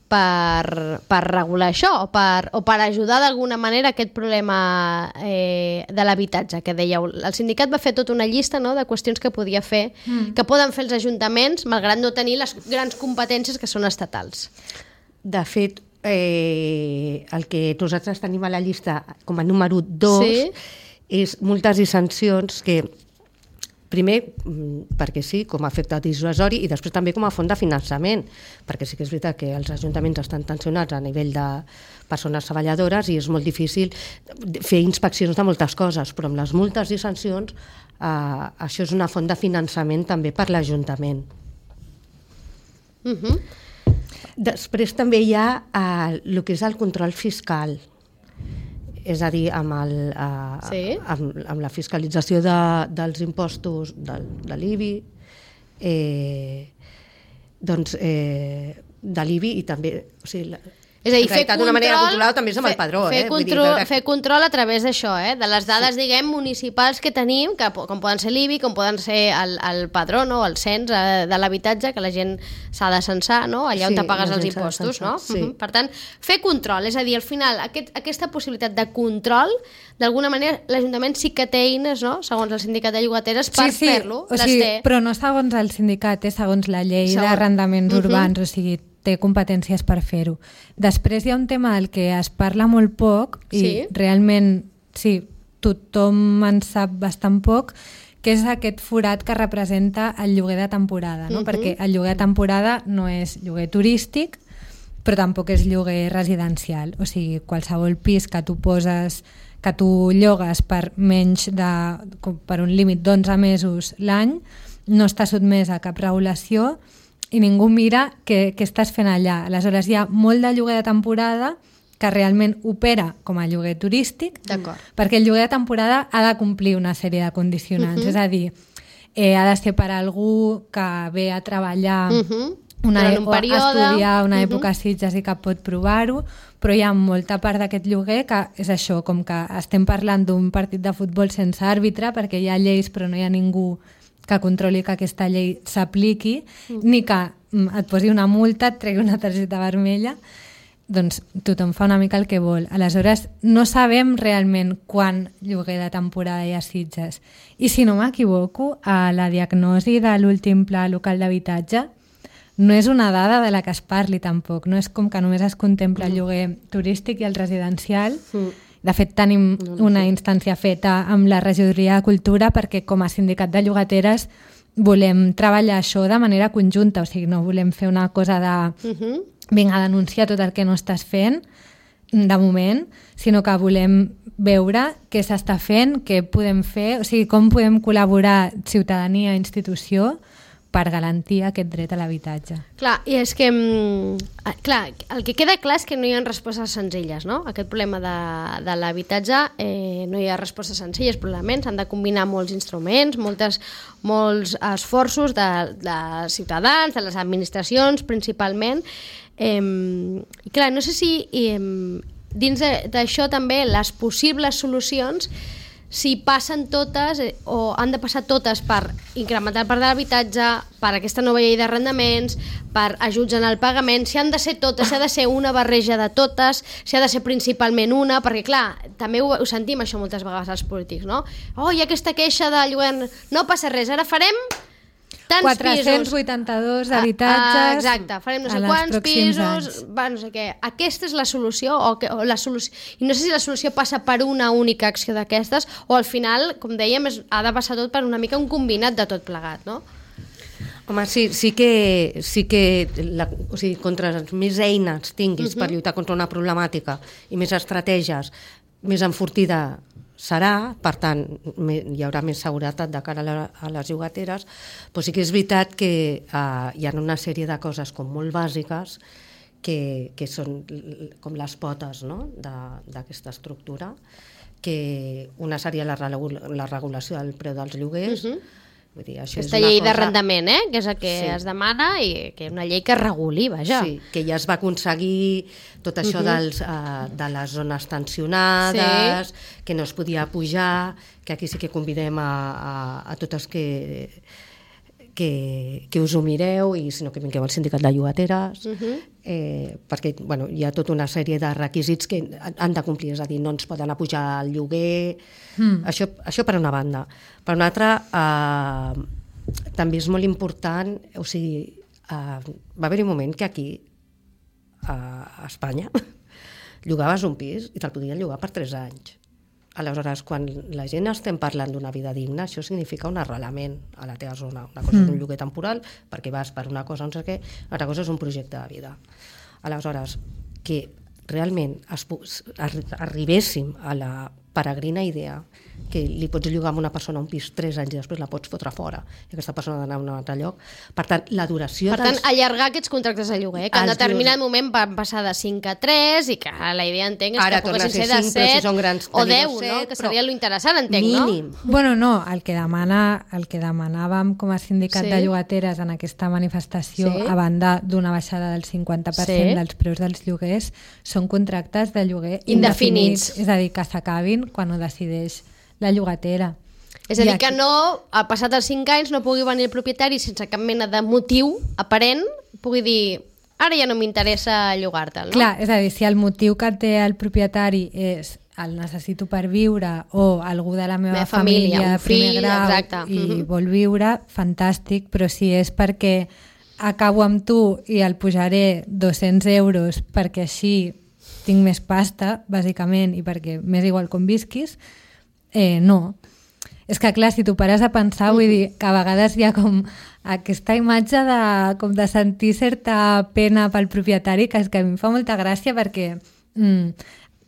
regular això o per ajudar d'alguna manera aquest problema de l'habitatge que dèieu? El sindicat va fer tota una llista, no?, de qüestions que podia fer, que poden fer els ajuntaments malgrat no tenir les grans competències que són estatals.
De fet, el que nosaltres tenim a la llista com a número 2 és multes i sancions que, primer, perquè sí, com a efecte dissuasori, i després també com a font de finançament, perquè sí que és veritat que els ajuntaments estan tensionats a nivell de persones treballadores i és molt difícil fer inspeccions de moltes coses, però amb les multes i sancions això és una font de finançament també per l'Ajuntament. Després també hi ha el que és el control fiscal, és a dir, amb la fiscalització dels impostos de l'IBI, de l'IBI i també...
És a dir, fer
d'una manera controlada també és amb el padró.
Fer control a través d'això, de les dades, diguem, municipals que tenim, com poden ser l'IBI, com poden ser el padró, no?, el cens de l'habitatge, que la gent s'ha de censar, no?, allà on te pagues els impostos, no? Per tant, fer control, és a dir, al final, aquesta possibilitat de control, d'alguna manera, l'Ajuntament sí que té eines, no?, segons el sindicat de llogateres, per fer-lo.
Però no segons el sindicat, segons la llei d'arrendaments urbans, o sigui, té competències per fer-ho. Després hi ha un tema del que es parla molt poc i realment, tothom en sap bastant poc, que és aquest forat que representa el lloguer de temporada, no? Perquè el lloguer de temporada no és lloguer turístic, però tampoc és lloguer residencial. O sigui, qualsevol pis que tu poses, que tu llogues per un límit d'11 mesos l'any, no està sotmès a cap regulació i ningú mira què estàs fent allà. Aleshores hi ha molt de lloguer de temporada que realment opera com a lloguer turístic, perquè el lloguer de temporada ha de complir una sèrie de condicionants, és a dir, ha de ser per algú que ve a treballar a estudiar una època a Sitges i que pot provar-ho, però hi ha molta part d'aquest lloguer que és això, com que estem parlant d'un partit de futbol sense àrbitre, perquè hi ha lleis però no hi ha ningú que controli que aquesta llei s'apliqui, ni que et posi una multa, et tregui una targeta vermella, doncs tothom fa una mica el que vol. Aleshores, no sabem realment quan lloguer de temporada hi ha Sitges. I si no m'equivoco, a la diagnosi de l'últim pla local d'habitatge no és una dada de la que es parli tampoc, no és com que només es contempla el lloguer turístic i el residencial. De fet, tenim una instància feta amb la regidoria de Cultura perquè com a sindicat de llogateres volem treballar això de manera conjunta, o sigui, no volem fer una cosa de vinga a denunciar tot el que no estàs fent de moment, sinó que volem veure què s'està fent, què podem fer, o sigui, com podem col·laborar ciutadania i institució per garantir aquest dret a l'habitatge.
Clar, i és que el que queda clar és que no hi ha respostes senzilles, no? Aquest problema de l'habitatge no hi ha respostes senzilles, probablement s'han de combinar molts instruments, molts esforços de ciutadans, de les administracions principalment, I clar, no sé si dins d'això també les possibles solucions, si passen totes o han de passar totes per incrementar el parc de l'habitatge, per aquesta nova llei d'arrendaments, per ajuts en el pagament, si han de ser totes, si ha de ser una barreja de totes, si ha de ser principalment una, perquè clar, també ho sentim això moltes vegades als polítics, no? Oh, hi ha aquesta queixa de lloguer, no passa res, ara farem tants
482 habitatges.
Exacte, farem no sé quants pisos, no sé què. Aquesta és la solució, o la solució, i no sé si la solució passa per una única acció d'aquestes, o al final, com dèiem, ha de passar tot per una mica un combinat de tot plegat, no?
Home, sí que o sigui, contra més eines tinguis per lluitar contra una problemàtica i més estratègies, més enfortida serà, per tant, hi haurà més seguretat de cara a les llogateres, però sí que és veritat que hi ha una sèrie de coses com molt bàsiques que són com les potes, no?, d'aquesta estructura, que una seria la regulació del preu dels lloguers. Vull dir, això
aquesta llei d'arrendament, que és el que es demana, i que és una llei que reguli, vaja.
Sí, que ja es va aconseguir tot això de les zones tensionades, que no es podia pujar, que aquí sí que convidem a totes que us ho mireu, i si no que vingueu al sindicat de llogateres, perquè hi ha tota una sèrie de requisits que han de complir, és a dir, no ens poden apujar el lloguer, això per una banda. Per una altra, també és molt important, o sigui, va haver-hi un moment que aquí, a Espanya, llogaves un pis i te'l podien llogar per 3 anys. Aleshores, quan la gent estem parlant d'una vida digna, això significa un arrelament a la teva zona. Una cosa és un lloguer temporal, perquè vas per una cosa, no sé què, una altra cosa és un projecte de vida. Aleshores, que realment arribéssim a la peregrina idea que li pots llogar a una persona un pis 3 anys i després la pots fotre fora i aquesta persona ha d'anar a un altre lloc. Per tant, la duració...
Per tant, allargar aquests contractes de lloguer, que en determinat moment van passar de 5 a 3 i que la idea, entenc, és que poguessin ser de 7 o 10, no? Que seria lo interessant, entenc,
mínim.
No?
Bueno, no, el que demanàvem com a sindicat de llogateres en aquesta manifestació, a banda d'una baixada del 50% dels preus dels lloguers, són contractes de lloguer indefinits. És a dir, que s'acabin quan ho decideix la llogatera.
És a dir, que no, ha passat els 5 anys, no pugui venir el propietari sense cap mena de motiu aparent, pugui dir, ara ja no m'interessa llogar-te'l, no?
Clar, és a dir, si el motiu que té el propietari és el necessito per viure o algú de la meva família
un fill,
primer grau,
exacte,
i vol viure, fantàstic, però si és perquè acabo amb tu i el pujaré 200 euros perquè així tinc més pasta, bàsicament, i perquè m'és igual com visquis, no. És que clar, si t'ho pares a pensar, vull dir que a vegades hi ha com aquesta imatge de sentir certa pena pel propietari, que és que a mi em fa molta gràcia perquè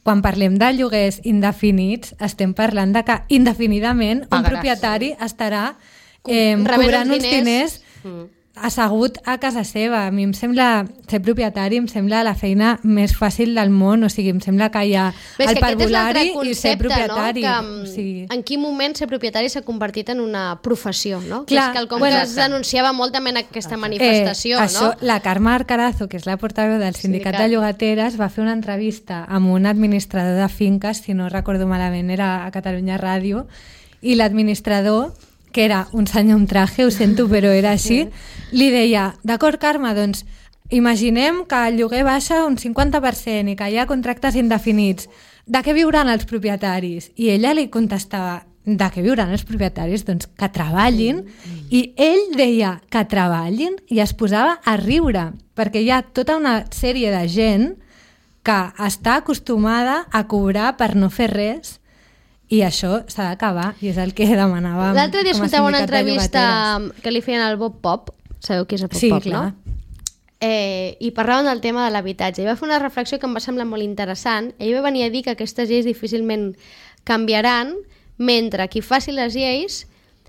quan parlem de lloguers indefinits estem parlant de que indefinidament un propietari estarà cobrant uns diners assegut a casa seva. A mi em sembla, ser propietari em sembla la feina més fàcil del món, o sigui, em sembla que hi ha el parvulari i ser propietari.
No? O sigui... En quin moment ser propietari s'ha convertit en una professió, no?
Clar,
que és quelcom que es denunciava molt també en aquesta manifestació,
això,
no?
La Carme Arcarazo, que és la portaveu del Sindicat de Llogateres, va fer una entrevista amb un administrador de finques, si no recordo malament, era a Catalunya Ràdio, i l'administrador, que era un senyor amb traje, ho sento, però era així, li deia, d'acord, Carme, doncs imaginem que el lloguer baixa un 50% i que hi ha contractes indefinits. De què viuran els propietaris? I ella li contestava, de què viuran els propietaris? Doncs que treballin. I ell deia que treballin i es posava a riure, perquè hi ha tota una sèrie de gent que està acostumada a cobrar per no fer res. I això s'ha d'acabar, i és el que demanàvem.
L'altre dia escoltava una entrevista que li feien al Bob Pop, sabeu qui és el Bob Pop,
clar.
No? I parlaven del tema de l'habitatge. I va fer una reflexió que em va semblar molt interessant. Ell va venir a dir que aquestes lleis difícilment canviaran mentre qui faci les lleis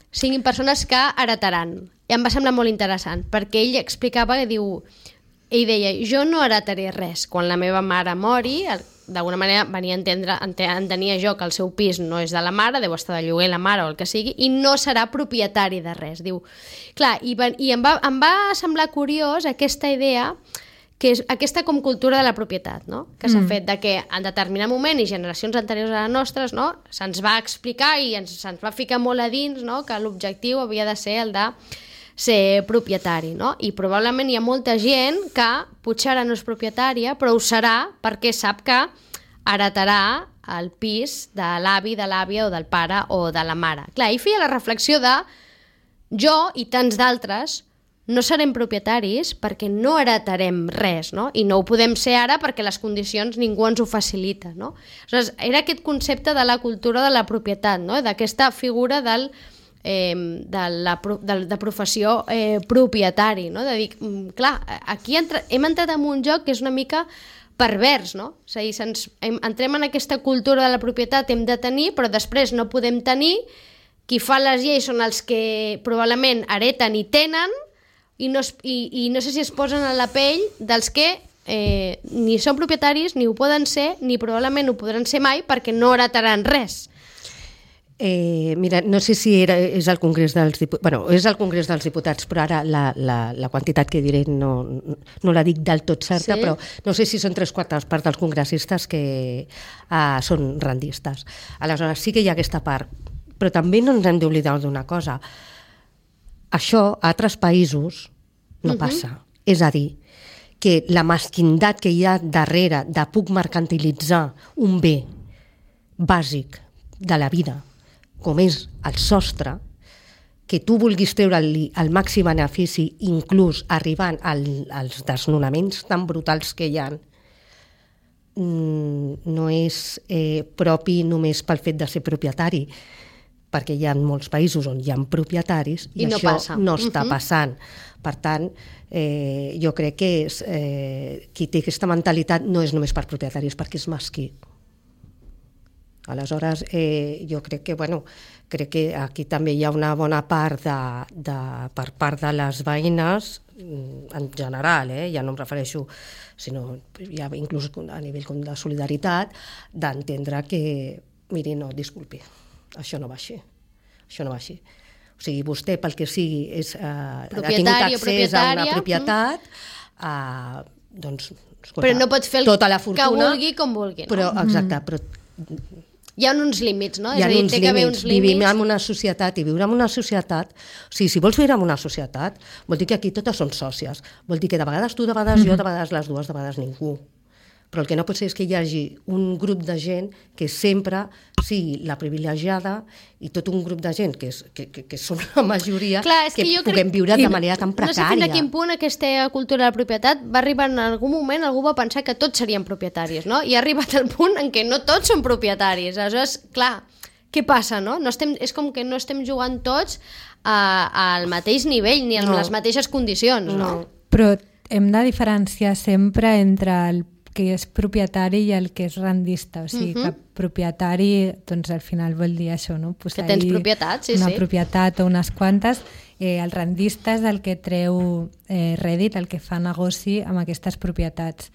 siguin persones que heretaran. I em va semblar molt interessant, perquè ell explicava que ell deia, jo no heretaré res. Quan la meva mare mori, d'alguna manera entenia jo que el seu pis no és de la mare, deu estar de lloguer la mare o el que sigui, i no serà propietari de res. Diu, clar, i em va semblar curiós aquesta idea que és aquesta com cultura de la propietat, no? Que s'ha fet de que en determinat moment i generacions anteriors a les nostres, no? Se'ns va explicar i se'ns va ficar molt a dins, no? Que l'objectiu havia de ser el de ser propietari, no? I probablement hi ha molta gent que potser ara no és propietària, però ho serà perquè sap que heretarà el pis de l'avi, de l'àvia o del pare o de la mare. Clar, ell feia la reflexió de jo i tants d'altres no serem propietaris perquè no heretarem res, no? I no ho podem ser ara perquè les condicions ningú ens ho facilita, no? Aleshores, era aquest concepte de la cultura de la propietat, no? D'aquesta figura de professió propietari, no? De dir, clar, aquí hem entrat en un joc que és una mica pervers, no? És a dir, entrem en aquesta cultura de la propietat, hem de tenir, però després no podem tenir. Qui fa les lleis són els que probablement hereten i tenen, i no sé si es posen a la pell dels que ni són propietaris, ni ho poden ser, ni probablement ho podran ser mai perquè no heretaran res.
Mira, no sé si és el Congrés dels Diputats, bueno, és el Congrés dels Diputats, però ara la quantitat que diré no la dic del tot certa, sí? Però no sé si són 3/4 parts dels congressistes que són rendistes. Aleshores, sí que hi ha aquesta part, però també no ens hem d'oblidar d'una cosa. Això a altres països no passa. És a dir, que la mesquindat que hi ha darrere de puc mercantilitzar un bé bàsic de la vida, com és el sostre, que tu vulguis treure-li el màxim benefici, inclús arribant als desnonaments tan brutals que hi ha, no és propi només pel fet de ser propietari, perquè hi ha molts països on hi ha propietaris i no això passa. No està passant. Per tant, jo crec que qui té aquesta mentalitat no és només per propietaris, perquè és mesquí. Aleshores, jo crec que aquí també hi ha una bona part per part de les veïnes, en general, ja no em refereixo, sinó ja inclús a nivell de solidaritat, d'entendre que, miri, no, disculpi, això no va així. Això no va així. O sigui, vostè, pel que sigui, ha tingut accés a una propietat, doncs, escolta,
però no pot fer
tota la fortuna,
que vulgui com vulgui. No?
Però, exacte, però
hi ha uns límits, no?
Hi ha uns límits. Vivim en una societat i viure en una societat... O sigui, si vols viure en una societat, vol dir que aquí totes són sòcies. Vol dir que de vegades tu, de vegades jo, de vegades les dues, de vegades ningú. Però el que no pot ser és que hi hagi un grup de gent que sempre sigui la privilegiada i tot un grup de gent que són la majoria.
Clar,
que puguem viure de manera tan precària.
No sé fins a quin punt aquesta cultura de la propietat va arribar en algun moment, algú va pensar que tots serien propietaris, no? I ha arribat al punt en què no tots són propietaris. Aleshores, clar, què passa, no? És com que no estem jugant tots al mateix nivell ni amb les mateixes condicions, no?
Però hem de diferenciar sempre entre el que és propietari i el que és rendista. O sigui, que propietari, doncs al final vol dir això, no?
Que tens propietat, sí,
una propietat o unes quantes. El rendista és el que treu rèdit, el que fa negoci amb aquestes propietats.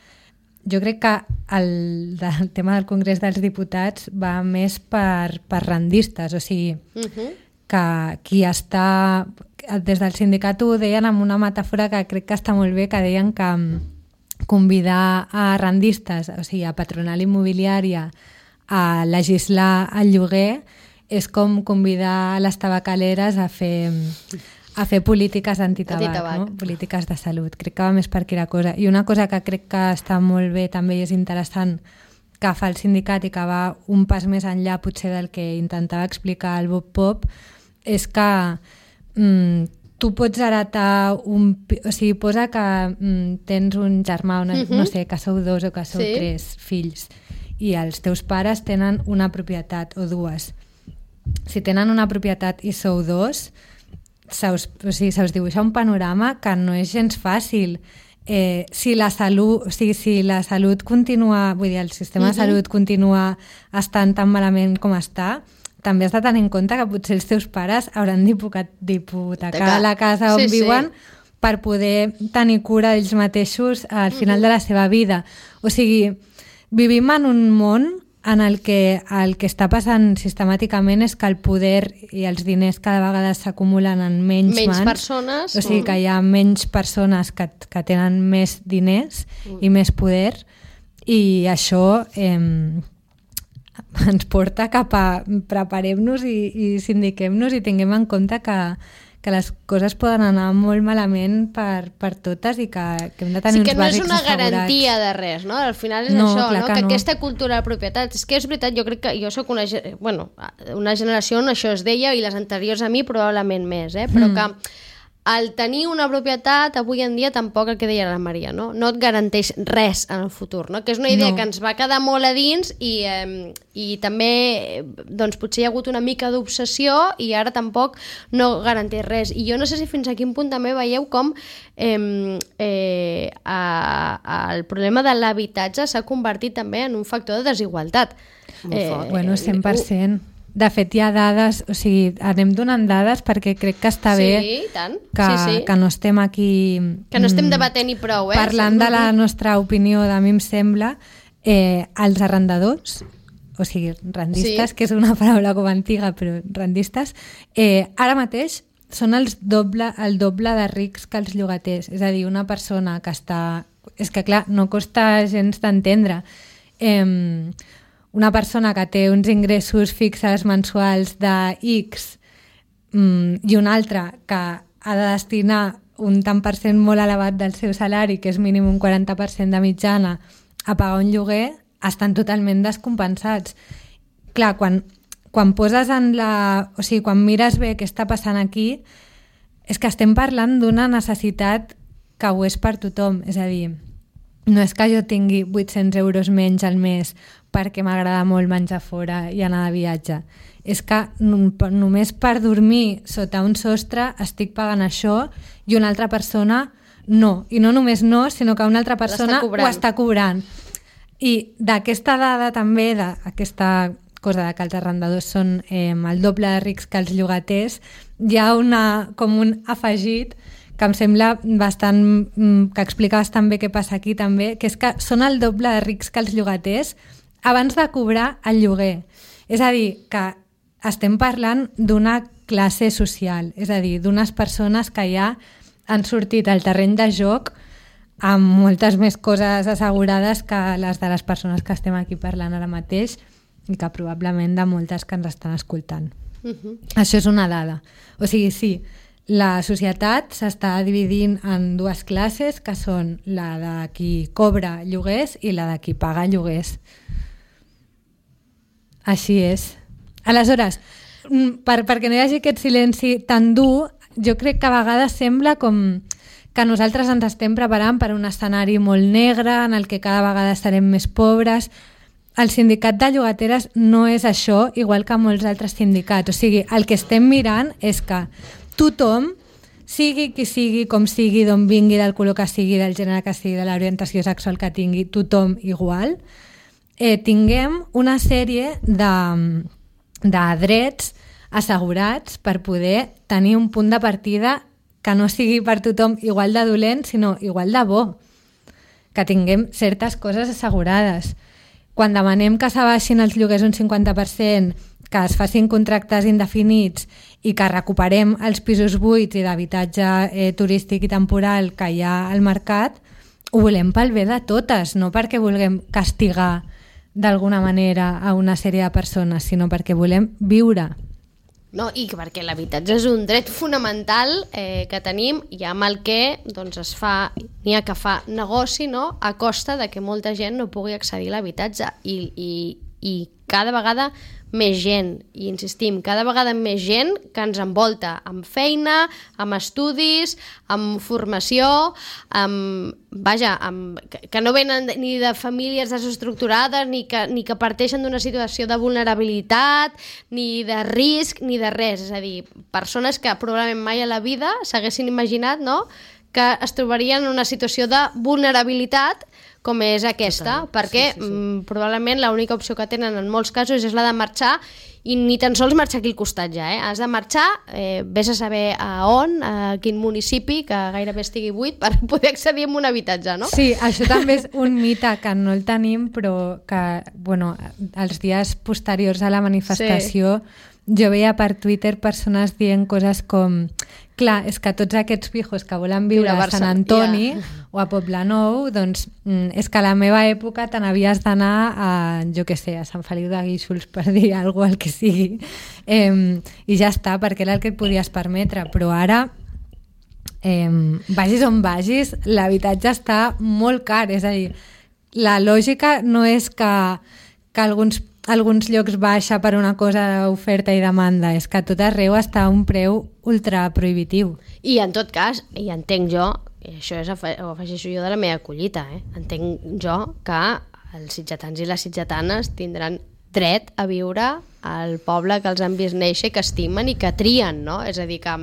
Jo crec que el tema del Congrés dels Diputats va més per rendistes, o sigui, que qui està... Des del sindicat ho deien amb una metàfora que crec que està molt bé, que deien que convidar a rendistes, o sigui, a patronal immobiliària a legislar el lloguer és com convidar les tabacaleres a fer polítiques antitabac, no? Polítiques de salut. Crec que va més per aquí la cosa. I una cosa que crec que està molt bé també i és interessant que fa el sindicat i que va un pas més enllà potser del que intentava explicar el Bob Pop és que tu pots heretar o sigui, posa que tens un germà, no sé, que sou 2 o que sou 3 fills i els teus pares tenen una propietat o 2. Si tenen una propietat i sou 2, se us dibuixa un panorama que no és gens fàcil. Si la salut continua, vull dir, el sistema de salut continua estant tan malament com està, també has de tenir en compte que potser els teus pares hauran d'hipotecar la casa on viuen per poder tenir cura d'ells mateixos al final de la seva vida. O sigui, vivim en un món en el que està passant sistemàticament és que el poder i els diners cada vegada s'acumulen en menys mans.
Persones.
O sigui que hi ha menys persones que tenen més diners i més poder, i això ens porta cap a preparem-nos i sindiquem-nos i tinguem en compte que les coses poden anar molt malament per totes i que hem de tenir uns bàsics assegurats. Sí, que no és una
garantia de res, no? Al final és això, no? Que aquesta cultura de propietat... És que és veritat, jo crec que jo soc una generació on això es deia, i les anteriors a mi probablement més, però que el tenir una propietat avui en dia tampoc, el que deia la Maria, no et garanteix res en el futur, no? Que és una idea que ens va quedar molt a dins i també doncs, potser hi ha hagut una mica d'obsessió i ara tampoc no garanteix res. I jo no sé si fins a quin punt també veieu com el problema de l'habitatge s'ha convertit també en un factor de desigualtat.
Bueno, 100%. De fet, hi ha dades, o sigui, anem donant dades perquè crec que està bé que no estem aquí...
Que no estem debatent i prou,
parlant de la nostra opinió, a mi em sembla, els arrendadors, o sigui, rendistes, que és una paraula com antiga, però rendistes, ara mateix són el doble de rics que els llogaters. És a dir, una persona que està... És que, clar, no costa gens d'entendre. Una persona que té uns ingressos fixes mensuals de X i una altra que ha de destinar un tant per cent molt elevat del seu salari, que és mínim un 40% de mitjana, a pagar un lloguer, estan totalment descompensats. Clar, quan poses en la... O sigui, quan mires bé què està passant aquí, és que estem parlant d'una necessitat que ho és per tothom. És a dir, no és que jo tingui 800 euros menys al mes perquè m'agrada molt menjar fora i anar de viatge. És que només per dormir sota un sostre estic pagant això i una altra persona no. I no només no, sinó que una altra persona ho està cobrant. I d'aquesta dada també, d'aquesta cosa de que els arrendadors són el doble de rics que els llogaters, hi ha com un afegit que em sembla bastant... que explica bastant bé què passa aquí també, que és que són el doble de rics que els llogaters abans de cobrar el lloguer. És a dir, que estem parlant d'una classe social, és a dir, d'unes persones que ja han sortit al terreny de joc amb moltes més coses assegurades que les de les persones que estem aquí parlant ara mateix i que probablement de moltes que ens estan escoltant. Això és una dada. O sigui, sí, la societat s'està dividint en dues classes, que són la de qui cobra lloguers i la de qui paga lloguers. Així és. Aleshores, perquè no hi hagi aquest silenci tan dur, jo crec que a vegades sembla com que nosaltres ens estem preparant per un escenari molt negre en el que cada vegada serem més pobres. El sindicat de llogateres no és això, igual que molts altres sindicats. O sigui, el que estem mirant és que tothom, sigui qui sigui, com sigui, d'on vingui, del color que sigui, del gènere que sigui, de l'orientació sexual que tingui, tothom igual, tinguem una sèrie de drets assegurats per poder tenir un punt de partida que no sigui per tothom igual de dolent, sinó igual de bo. Que tinguem certes coses assegurades. Quan demanem que s'abaixin els lloguers un 50%, que es facin contractes indefinits i que recuperem els pisos buits i d'habitatge turístic i temporal que hi ha al mercat, ho volem pel bé de totes, no perquè vulguem castigar d'alguna manera a una sèrie de persones, sinó perquè volem viure.
No, i perquè l'habitatge és un dret fonamental que tenim i amb el que doncs, n'hi ha que fa negoci, no? A costa de que molta gent no pugui accedir a l'habitatge i cada vegada més gent, i insistim, cada vegada més gent que ens envolta amb feina, amb estudis, amb formació, que no venen ni de famílies desestructurades ni que parteixen d'una situació de vulnerabilitat, ni de risc, ni de res. És a dir, persones que probablement mai a la vida s'haguessin imaginat, no?, que es trobarien en una situació de vulnerabilitat com és aquesta, perquè probablement l'única opció que tenen en molts casos és la de marxar, i ni tan sols marxar aquí al costat ja, Has de marxar, vés a saber a on, a quin municipi, que gairebé estigui buit, per poder accedir a un habitatge, no?
Sí, això també és un mite que no el tenim, però que, bueno, els dies posteriors a la manifestació jo veia per Twitter persones dient coses com: clar, és que tots aquests pijos que volen viure a Sant Antoni o a Poblenou, doncs és que a la meva època te n'havies d'anar a, jo què sé, a Sant Feliu de Guíxols, per dir alguna cosa, el que sigui, i ja està, perquè era el que et podies permetre. Però ara, vagis on vagis, l'habitatge està molt car, és a dir, la lògica no és que alguns llocs baixa per una cosa d'oferta i demanda, és que a tot arreu està a un preu ultra prohibitiu.
I en tot cas, i entenc jo, i això ho afegeixo jo de la meva collita, entenc jo que els sitgetans i les sitgetanes tindran dret a viure al poble que els han vist néixer, que estimen i que trien, no? És a dir, que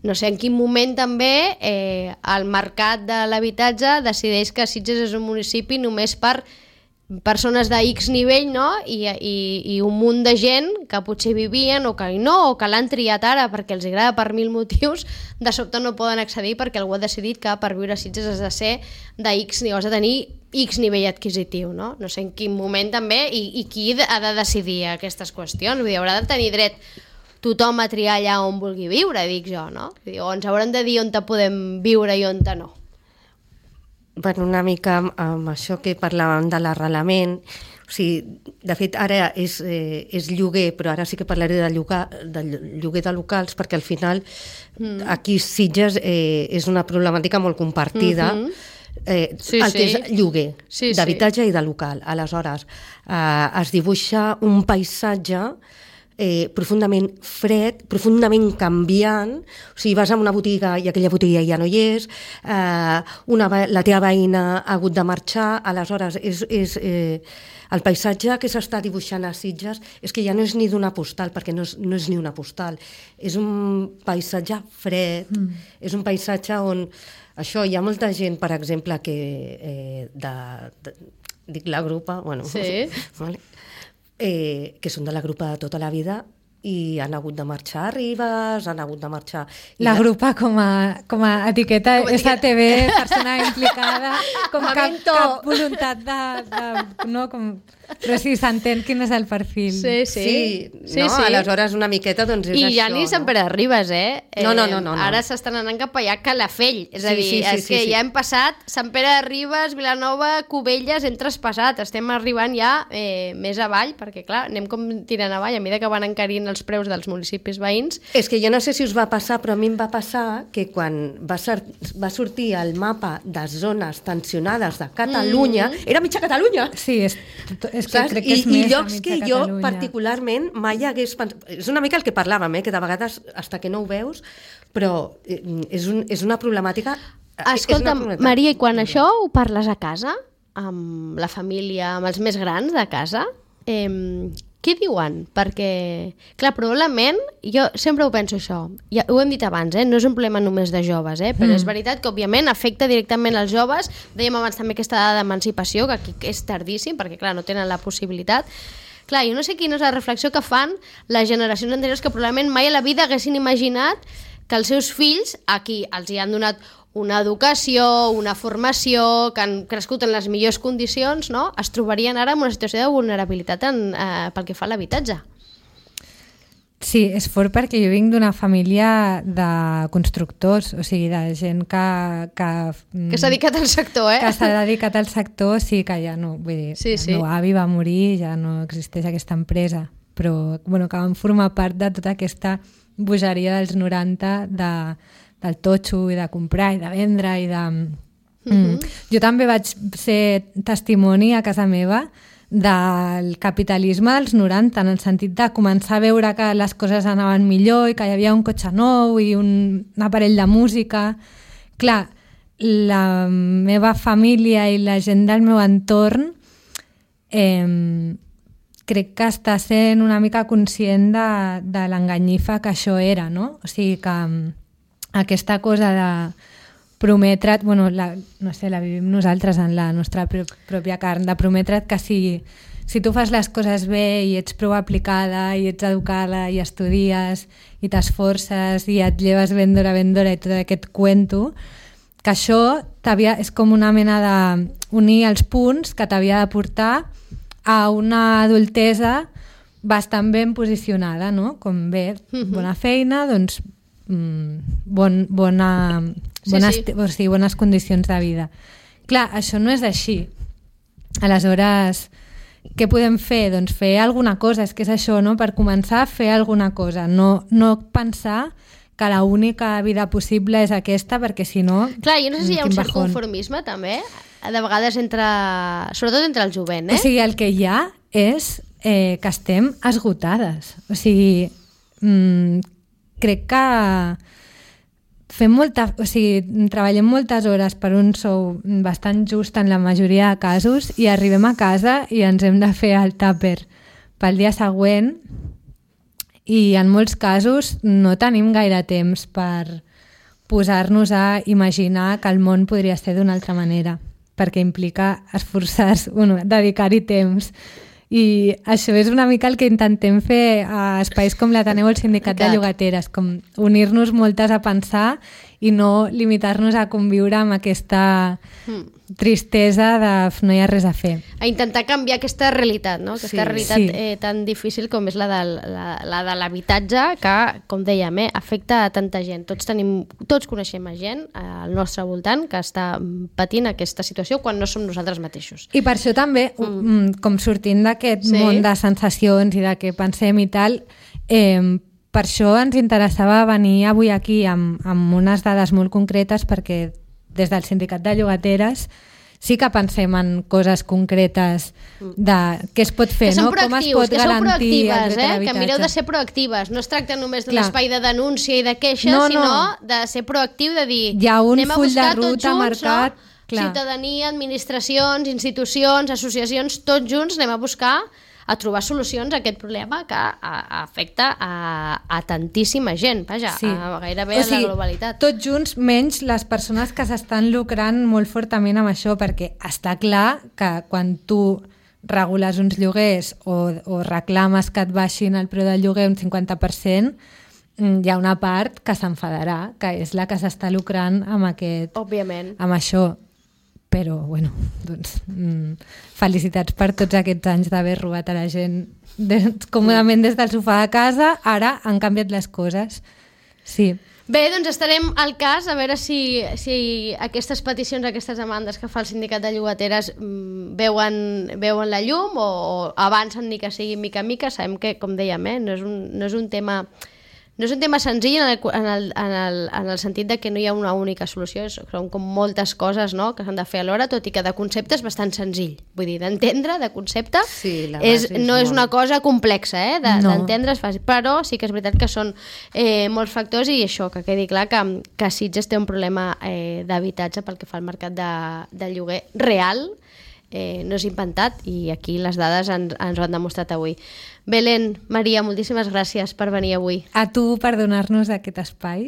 no sé en quin moment també el mercat de l'habitatge decideix que Sitges és un municipi només per persones de X nivell, no? I un munt de gent que potser vivien o que no, o que l'han triat ara perquè els agrada per 1000 motius, de sobte no poden accedir perquè algú ha decidit que per viure a Sitges has de ser de X, has de tenir X nivell adquisitiu, no? No sé en quin moment també i qui ha de decidir aquestes qüestions. Vull dir, haurà de tenir dret tothom a triar allà on vulgui viure, dic jo, no? Vull dir, o ens hauran de dir on podem viure i on no.
Bueno, una mica amb això que parlàvem de l'arrelament, o sigui, de fet ara és lloguer, però ara sí que parlaré de lloguer de locals, perquè al final aquí Sitges és una problemàtica molt compartida, el que és lloguer d'habitatge i de local. Aleshores, es dibuixa un paisatge profundament fred, profundament canviant, o sigui, vas a una botiga i aquella botiga ja no hi és, la teva veïna ha hagut de marxar, aleshores el paisatge que s'està dibuixant a Sitges és que ja no és ni d'una postal, perquè no és ni una postal, és un paisatge fred, és un paisatge on això, hi ha molta gent, per exemple, que dic la grupa, bueno, vale, que són de la grupa de tota la vida i han hagut de marxar a Ribes, han hagut de marxar...
La grupa com a etiqueta STV, persona implicada, com cap voluntat de no, com... Però sí, s'entén quin és el perfil.
Sí. Aleshores una miqueta doncs és això.
I ja ni Sant Pere de Ribes,
No.
Ara s'estan anant cap allà a Calafell, és a dir, que ja hem passat Sant Pere de Ribes, Vilanova, Cubelles, hem traspassat, estem arribant ja més avall, perquè clar, anem com tirant avall, a mesura que van encarint els preus dels municipis veïns.
És que jo no sé si us va passar, però a mi em va passar que quan va sortir el mapa de zones tensionades de Catalunya, era mitja Catalunya!
Sí, és que crec que és més
llocs que jo particularment mai hagués pensat. És una mica el que parlàvem, que de vegades hasta que no ho veus, però és una problemàtica.
Escolta'm, Maria, i quan això ho parles a casa, amb la família, amb els més grans de casa, què diuen? Perquè, clar, probablement, jo sempre ho penso això, ja ho hem dit abans, no és un problema només de joves, però és veritat que, òbviament, afecta directament als joves. Dèiem abans també aquesta dada d'emancipació, que aquí és tardíssim, perquè, clar, no tenen la possibilitat. Clar, jo no sé quina és la reflexió que fan les generacions anteriors que probablement mai a la vida haguessin imaginat que els seus fills, aquí els hi han donat una educació, una formació, que han crescut en les millors condicions, no? Es trobarien ara en una situació de vulnerabilitat pel que fa a l'habitatge.
Sí, és fort perquè jo vinc d'una família de constructors, o sigui, de gent que
s'ha dedicat al sector,
Que s'ha dedicat al sector, sí, que ja no, vull dir, el meu avi va morir, ja no existeix aquesta empresa, però bueno, que van formar part de tota aquesta bogeria dels 90 del totxo i de comprar i de vendre i de... Jo també vaig ser testimoni a casa meva del capitalisme dels 90, en el sentit de començar a veure que les coses anaven millor i que hi havia un cotxe nou i un aparell de música. Clar, la meva família i la gent del meu entorn crec que està sent una mica conscient de l'enganyifa que això era, no? O sigui que aquesta cosa de prometre't, bueno, no sé, la vivim nosaltres en la nostra pròpia carn, de prometre't que si tu fas les coses bé i ets prou aplicada i ets educada i estudies i t'esforces i et lleves ben d'hora i tot aquest cuento, que això és com una mena d'unir els punts que t'havia de portar a una adultesa bastant ben posicionada, no? Com bé, bona feina, doncs bones condicions de vida. Clar, això no és així. Aleshores, què podem fer? Doncs fer alguna cosa, és que és això, no? Per començar a fer alguna cosa, no pensar que l'única vida possible és aquesta, perquè si no...
Clar, jo no sé si hi ha un cert conformisme, també, de vegades sobretot entre el jovent, eh?
O sigui, el que hi ha és que estem esgotades. O sigui, crec que treballem moltes hores per un sou bastant just en la majoria de casos i arribem a casa i ens hem de fer el tàper pel dia següent i en molts casos no tenim gaire temps per posar-nos a imaginar que el món podria ser d'una altra manera, perquè implica esforçar-se, dedicar-hi temps. I això és una mica el que intentem fer a espais com l'Ateneu o el Sindicat de Llogateres, com unir-nos moltes a pensar i no limitar-nos a conviure amb aquesta tristesa de no hi ha res a fer.
A intentar canviar aquesta realitat, no? Aquesta realitat tan difícil com és la de l'habitatge, que, com dèiem, afecta a tanta gent. Tots coneixem a gent al nostre voltant que està patint aquesta situació quan no som nosaltres mateixos.
I per això també, com sortint d'aquest món de sensacions i de què pensem i tal, per això ens interessava venir avui aquí amb unes dades molt concretes, perquè des del Sindicat de Llogateres sí que pensem en coses concretes de què es pot fer, no? Com es pot garantir el dret a l'habitatge.
Que mireu de ser proactives. No es tracta només d'un espai de denúncia i de queixa, sinó de ser proactiu, de dir
hi ha un full de ruta marcat.
Ciutadania, administracions, institucions, associacions, tots junts anem a buscar a trobar solucions a aquest problema que afecta a tantíssima gent, vaja, gairebé a la globalitat.
Tots junts, menys les persones que s'estan lucrant molt fortament amb això, perquè està clar que quan tu regules uns lloguers o reclames que et baixin el preu del lloguer un 50%, hi ha una part que s'enfadarà, que és la que s'està lucrant amb això. Però, bueno, doncs, felicitats per tots aquests anys d'haver robat a la gent còmodament des del sofà de casa. Ara han canviat les coses. Sí.
Bé, doncs estarem al cas a veure si aquestes peticions, aquestes demandes que fa el Sindicat de Llogateres veuen la llum o avancen ni que sigui mica a mica. Sabem que, com dèiem, no és un tema... No és un tema senzill en el sentit de que no hi ha una única solució, són com moltes coses, no?, que s'han de fer alhora, tot i que de concepte és bastant senzill. Vull dir, d'entendre, de concepte, no és una cosa complexa, d'entendre és fàcil, però sí que és veritat que són molts factors i això, que quedi clar que Sitges té un problema d'habitatge pel que fa al mercat de lloguer real, no és inventat, i aquí les dades ens ho han demostrat avui. Belén, Maria, moltíssimes gràcies per venir avui.
A tu per donar-nos aquest espai.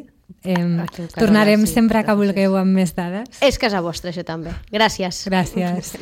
Tornarem sempre que vulgueu amb més dades.
És casa vostra, això també. Gràcies.
Gràcies.